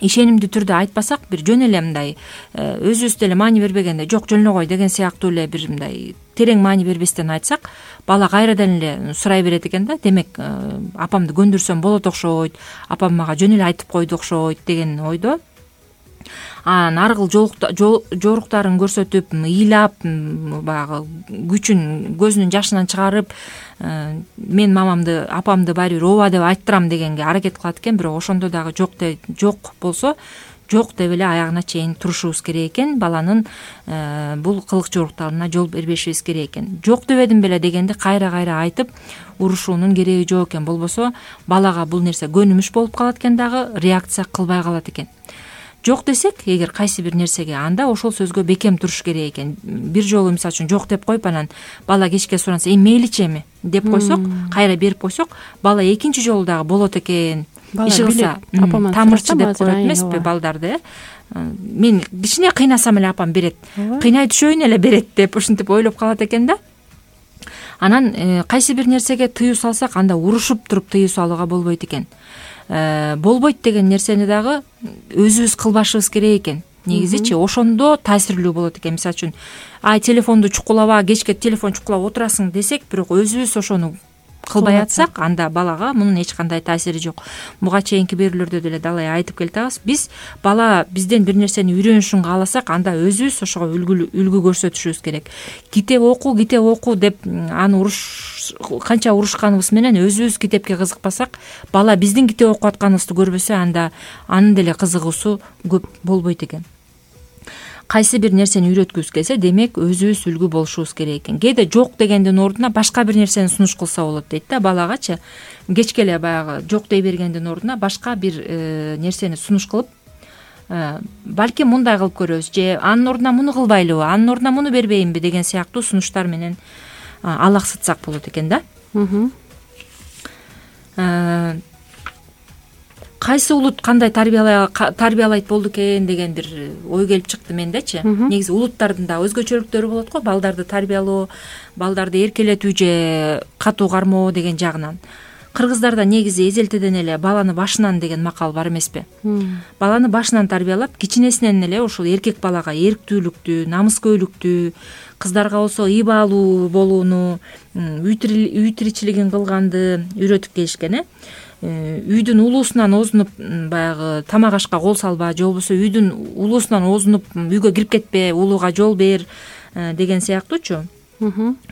ишенимдүү түрдө айтпасак, бир жөн эле мындай өзүбүз деле маани бербегенде жок жөн эле кой деген сыяктуу эле бир мындай терең маани бербестен айтсак, бала кайрадан эле сурай берет экен да. Демек апамды көндүрсөм болот окшойт, апам мага жөн эле айтып койду окшойт деген ойдо. Анан ар кыл жоруктарын көрсөтүп, ыйлап, баягы күчүн көзүнүн жашынан чыгарып, мен мамамды, апамды баары бир ооба деп айттырам дегенге аракет кылат экен. Бирок ошондо дагы жок болсо, жок деп эле аягына чейин турушубуз керек экен. Баланын бул кылык жоруктарына жол бербешибиз керек экен. Жок дебедим беле дегенди кайра айтып урушуунун кереги жок экен. Болбосо балага бул нерсе көнүмүш болуп калат экен, дагы реакция кылбай калат экен. Жок десек, эгер кайсы бир нерсеге, анда ошол сөзгө бекем туруш керек экен. Бир жолу мисалы үчүн жок деп коюп, анан бала кечке суранса, мейличи эми деп койсок, кайра берип койсок, бала экинчи жолу дагы болот экен. Иши кылса, тамырчы деп коет эмеспи балдарды, мен кичине кыйнасам эле апам берет, кыйнай түшөйүн эле берет деп ушинтип ойлоп калат экен да. Анан кайсы бир нерсеге тыюу салсак, анда урушуп туруп тыюу салууга болбойт экен. Болбойт деген нерсени дагы өзүбүз кылбашыбыз керек экен. Негизичи ошондо таасирлүү болот экен. Мисалы үчүн, телефонду чукулаба, кечке телефон чукулап отурасың десек, бирок өзүбүз ошону кылбай атсак, анда балага мунун эч кандай таасири жок. Буга чейинки берүүлөрдө деле далай айтып келатабыз. Биз бала бизден бир нерсени үйрөнүшүн кааласак, анда өзүбүз ошого үлгү көрсөтүшүбүз керек. Китеп оку деп аны канча урушканыбыз менен өзүбүз китепке кызыкпасак, бала биздин китеп окуп атканыбызды көрбөсө, анда анын деле кызыгуусу көп болбойт экен. Кайсы бир нерсени үйрөткүбүз келсе, демек өзүбүз үлгү болушубуз керек экен. Кээде жок дегендин ордуна башка бир нерсени сунуш кылса болот дейт да балагачы. Кечке эле баягы жок дей бергендин ордуна башка бир нерсени сунуш кылып, балким мындай кылып көрөбүз, же анын ордуна муну кылбайлыбы, анын ордуна муну бербейинби деген сыяктуу сунуштар менен алаксытсак болот экен да. Кайсы улут кандай тарбиялайт болду экен деген бир ой келип чыкты мендечи. Негизи улуттардын да өзгөчөлүктөрү болот го, балдарды тарбиялоо, балдарды эркелетүү же катуу кармоо деген жагынан. Кыргыздарда негизи эзелтеден эле баланы башынан деген макал бар эмеспи? Баланы башынан тарбиялап, кичинесинен эле ушул эркек балага эрктүүлүктү, намыскөйлүктү, кыздарга болсо ыйбалуу болууну, үй тиричилигин кылганды үйрөтүп келишкен. Үйдүн улуусунан озунуп баягы тамак ашка кол салба, же болбосо үйдүн улуусунан озунуп үйгө кирип кетпе, улууга жол бер деген сыяктуучу.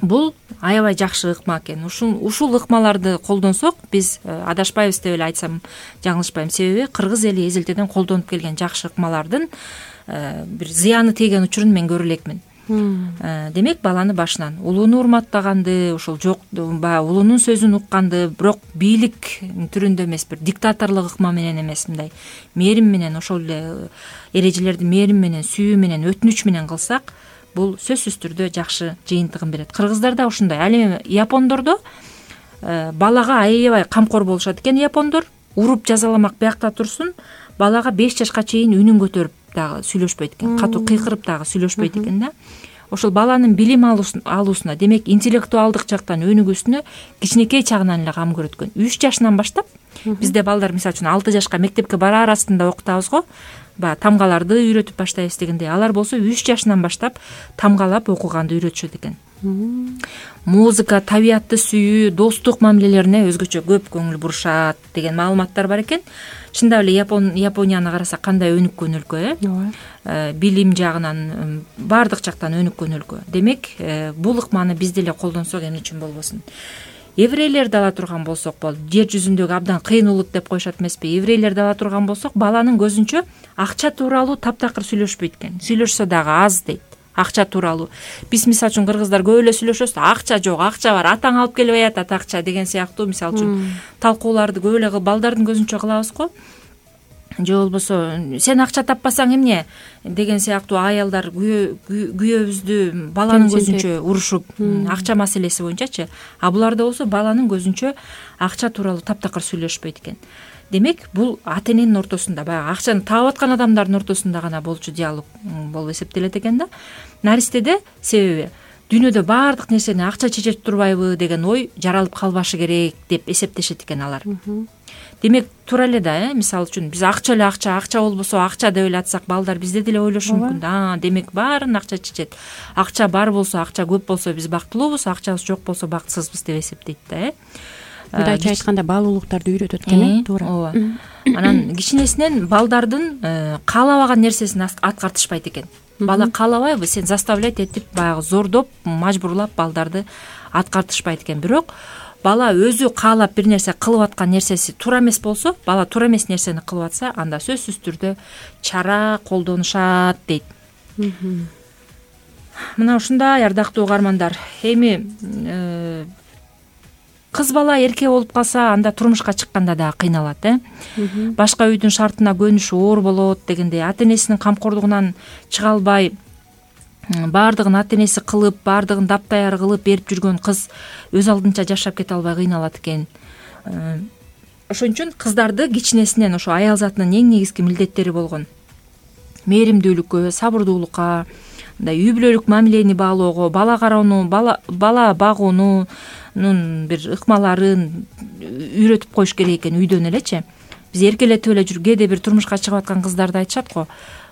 Бул аябай жакшы ыкма экен. Ушул ыкмаларды колдонсок, биз адашпайбыз деп эле айтсам жаңылышпайм. Себеби кыргыз эли эзелтеден колдонуп келген жакшы ыкмалардын бир зыяны тейген учурун мен көрө элекмин. Демек баланы башынан улууну урматтаганды, ошол жок баягы улуунун сөзүн укканды, бирок бийлик түрүндө эмес, бир диктаторлук ыкма менен эмес, мындай мээрим менен, ошол эле эрежелерди мээрим менен, сүйүү менен, өтүнүч менен кылсак, бул сөзсүз түрдө жакшы жыйынтыгын берет. Кыргыздарда ушундай. Ал эми япондордо балага аябай камкор болушат экен. Япондор уруп жазаламак биякта турсун, балага 5 жашка чейин үнүн көтөрүп дагы сүйлөшпөйт экен, катуу кыйкырып дагы сүйлөшпөйт экен да. Ошол баланын билим алуусуна, демек интеллектуалдык жактан өнүгүүсүнө кичинекей чагынан эле кам көрөт экен. 3 жашынан баштап бизде балдар мисалы үчүн 6 жашка мектепке бараар астында окутабыз го. Баягы тамгаларды үйрөтүп баштайбыз дегендей. Алар болсо 3 жашынан баштап тамгалап окуганды үйрөтүшөт экен. Музыка, табиятты сүйүү, достук мамилелерине өзгөчө көп көңүл бурушат деген маалыматтар бар экен. Чындап эле Японияны карасак кандай өнүккөн өлкө, билим жагынан баардык жактан өнүккөн өлкө. Демек, бул ыкманы биз деле колдонсок эмне үчүн болбосун. Еврейлерди ала турган болсок болду. Жер жүзүндөгү абдан кыйын улут деп коюшат эмеспи? Еврейлерди ала турган болсок, баланын көзүнчө акча тууралуу таптакыр сүйлөшпөйт экен. Сүйлөшсө дагы аз дейт. Акча тууралуу. Биз мисалы үчүн кыргыздар көп эле сүйлөшөбүз. Акча жок, акча бар, атаң алып келбей атат акча деген сыяктуу мисалы үчүн талкууларды көп эле балдардын көзүнчө кылабыз го. Же болбосо сен акча таппасаң эмне деген сыяктуу аялдар күйөөбүздү баланын көзүнчө урушуп, акча маселеси боюнчачы. А буларда болсо баланын көзүнчө акча тууралуу таптакыр сүйлөшпөйт экен. Демек, бул ата эненин ортосунда, баягы акчаны таап аткан адамдардын ортосунда гана болчу диалог болуп эсептелет экен да. Наристеде себеби дүйнөдө баардык нерсени акча чечет турбайбы деген ой жаралып калбашы керек деп эсептешет экен алар. Демек туура эле да, мисалы үчүн биз акча болбосо акча деп эле атсак, балдар бизде деле ойлошу мүмкүн да. Демек баарын акча чечет. Акча бар болсо, акча көп болсо биз бактылуубуз, акчабыз жок болсо бактысызбыз деп эсептейт да. Мындайча айтканда баалуулуктарды үйрөтөт экен, туура. ооба. Анан кичинесинен балдардын каалабаган нерсесин аткартышпайт экен. Бала каалабайбы, сен заставлять этип, баягы зордоп, мажбурлап балдарды аткартышпайт экен. Бирок бала өзү каалап бир нерсе кылып аткан нерсеси туура эмес болсо, бала туура эмес нерсени кылып атса, анда сөзсүз түрдө чара колдонушат дейт. Мына ушундай ардактуу угармандар. Эми кыз бала эркек болуп калса, анда турмушка чыкканда да кыйналат, Башка үйдүн шартына көнүшү оор болот дегендей, ата-энесинин камкордугунан чыга албай, баардыгын ата-энеси кылып, баардыгын таптаяр кылып берип жүргөн кыз өз алдынча жашап кете албай кыйналат экен. Ошон үчүн кыздарды кичинесинен ошо аял затынын эң негизги милдеттери болгон мээримдүүлүккө, сабырдуулукка, мындай үй бүлөлүк мамилени баалоого, бала кароону, бала багуунун бир ыкмаларын үйрөтүп коюш керек экен үйдөн элечи. Биз эркелетип эле жүрүп, кээде бир турмушка чыгып аткан кыздарды айтышат го.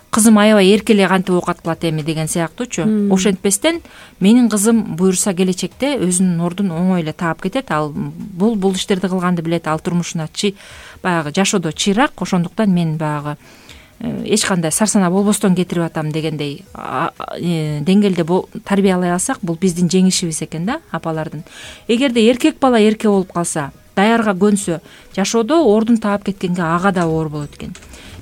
Кызым аябай эркелей кантип оокат кылат эми деген сыяктуучу. Ошентпестен менин кызым буюрса келечекте өзүнүн ордун оңой эле таап кетет. Ал бул иштерди кылганды билет, ал турмушуна баягы жашоодо чыйрак, ошондуктан мен баягы эч кандай сарсанаа болбостон кетирип атам дегендей деңгээлде тарбиялай алсак, бул биздин жеңишибиз экен да, апалардын. Эгерде эркек бала эркек болуп калса, даярга көнсө, жашоодо ордун таап кеткенге ага да оор болот экен.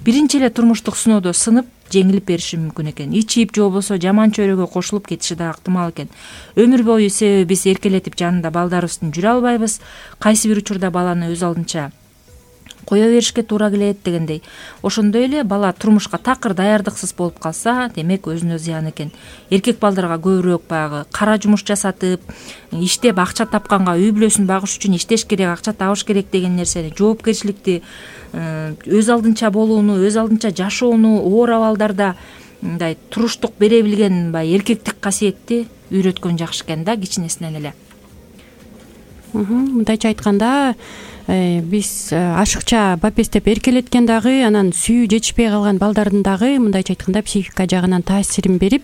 Биринчи эле турмуштук сыноодо сынып, жеңилип бериши мүмкүн экен. Ичип же болбосо жаман чөйрөгө кошулуп кетиши да ыктымал экен. Өмүр бою себеби биз эркелетип жанында балдарыбыздын жүрө албайбыз. Кайсы бир учурда баланы өз алдынча кое беришке туура келет дегендей. Ошондой эле бала турмушка такыр даярдыксыз болуп калса, демек өзүнө зыян экен. Эркек балдарга көбүрөөк баягы кара жумуш жасатып, иштеп акча тапканга үй бүлөсүн багыш үчүн иштеш керек, акча табыш керек деген нерсени, жоопкерчиликти, өз алдынча болууну, өз алдынча жашоону, оор абалдарда мындай туруштук бере билген эркектик касиетти үйрөткөн жакшы экен да, кичинесинен эле. Мындайча айтканда, биз ашыкча бапестеп эркелеткен дагы, анан сүйүү жетишпей калган балдардын дагы мындайча айтканда психика жагынан таасирин берип,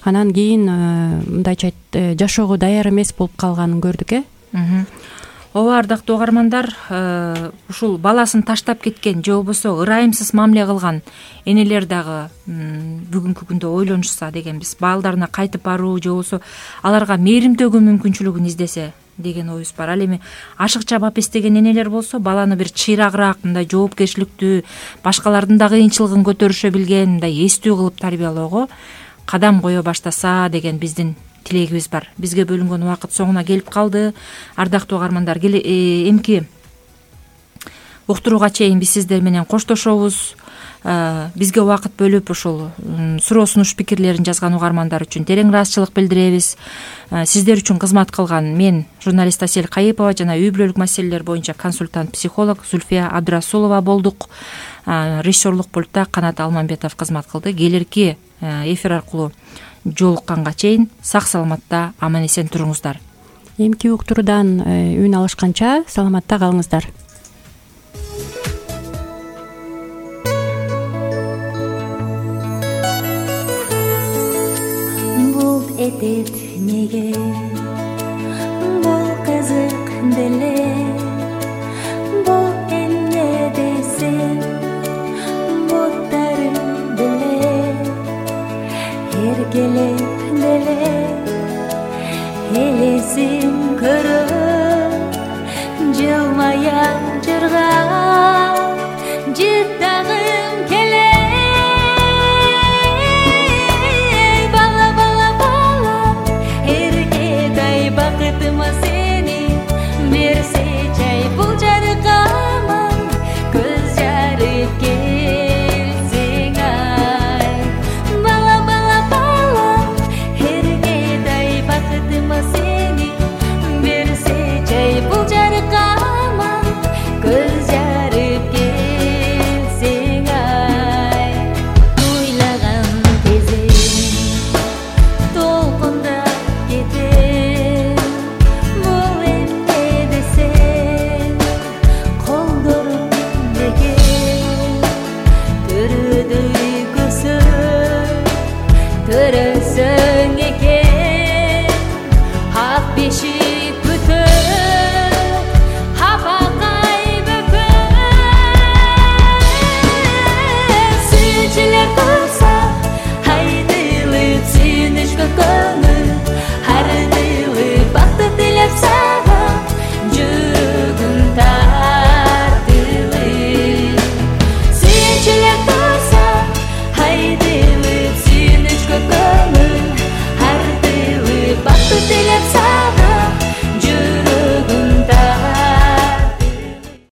анан кийин мындайча жашоого даяр эмес болуп калганын көрдүк, Ооба, ардактуу угармандар, ушул баласын таштап кеткен же болбосо ырайымсыз мамиле кылган энелер дагы бүгүнкү күндө ойлонушса дегенбиз. Балдарына кайтып баруу же болбосо аларга мээримдөөгө мүмкүнчүлүгүн издесе деген оюбуз бар. Ал эми ашыкча бапестеген энелер болсо, баланы бир чыйрагыраак, мындай жоопкерчиликтүү, башкалардын да кыйынчылыгын көтөрүшө билген, мындай эстүү кылып тарбиялоого кадам кое баштаса деген биздин тилегибиз бар. Бизге бөлүнгөн убакыт соңуна келип калды. Ардактуу угармандар, эмки уктурууга чейин биз сиздер менен коштошобуз. Бизге убакыт бөлүп ушул суроо сунуш пикирлерин жазган угармандар үчүн терең ыраазычылык билдиребиз. Сиздер үчүн кызмат кылган мен, журналист Асель Кайыпова жана үй бүлөлүк маселелер боюнча консультант психолог Зульфия Абдрасулова болдук. Режиссерлук пультта Канат Алмамбетов кызмат кылды. Келирки эфир аркылуу жолукканга чейин сак саламатта аман эсен туруңуздар. Эмки уктуруудан үн алышканча саламатта калыңыздар. Бул этет неге, бул кызык деле, бул эмне десем, буттары деле, эркелеп деле, элесин көрөп, жылмая жырга,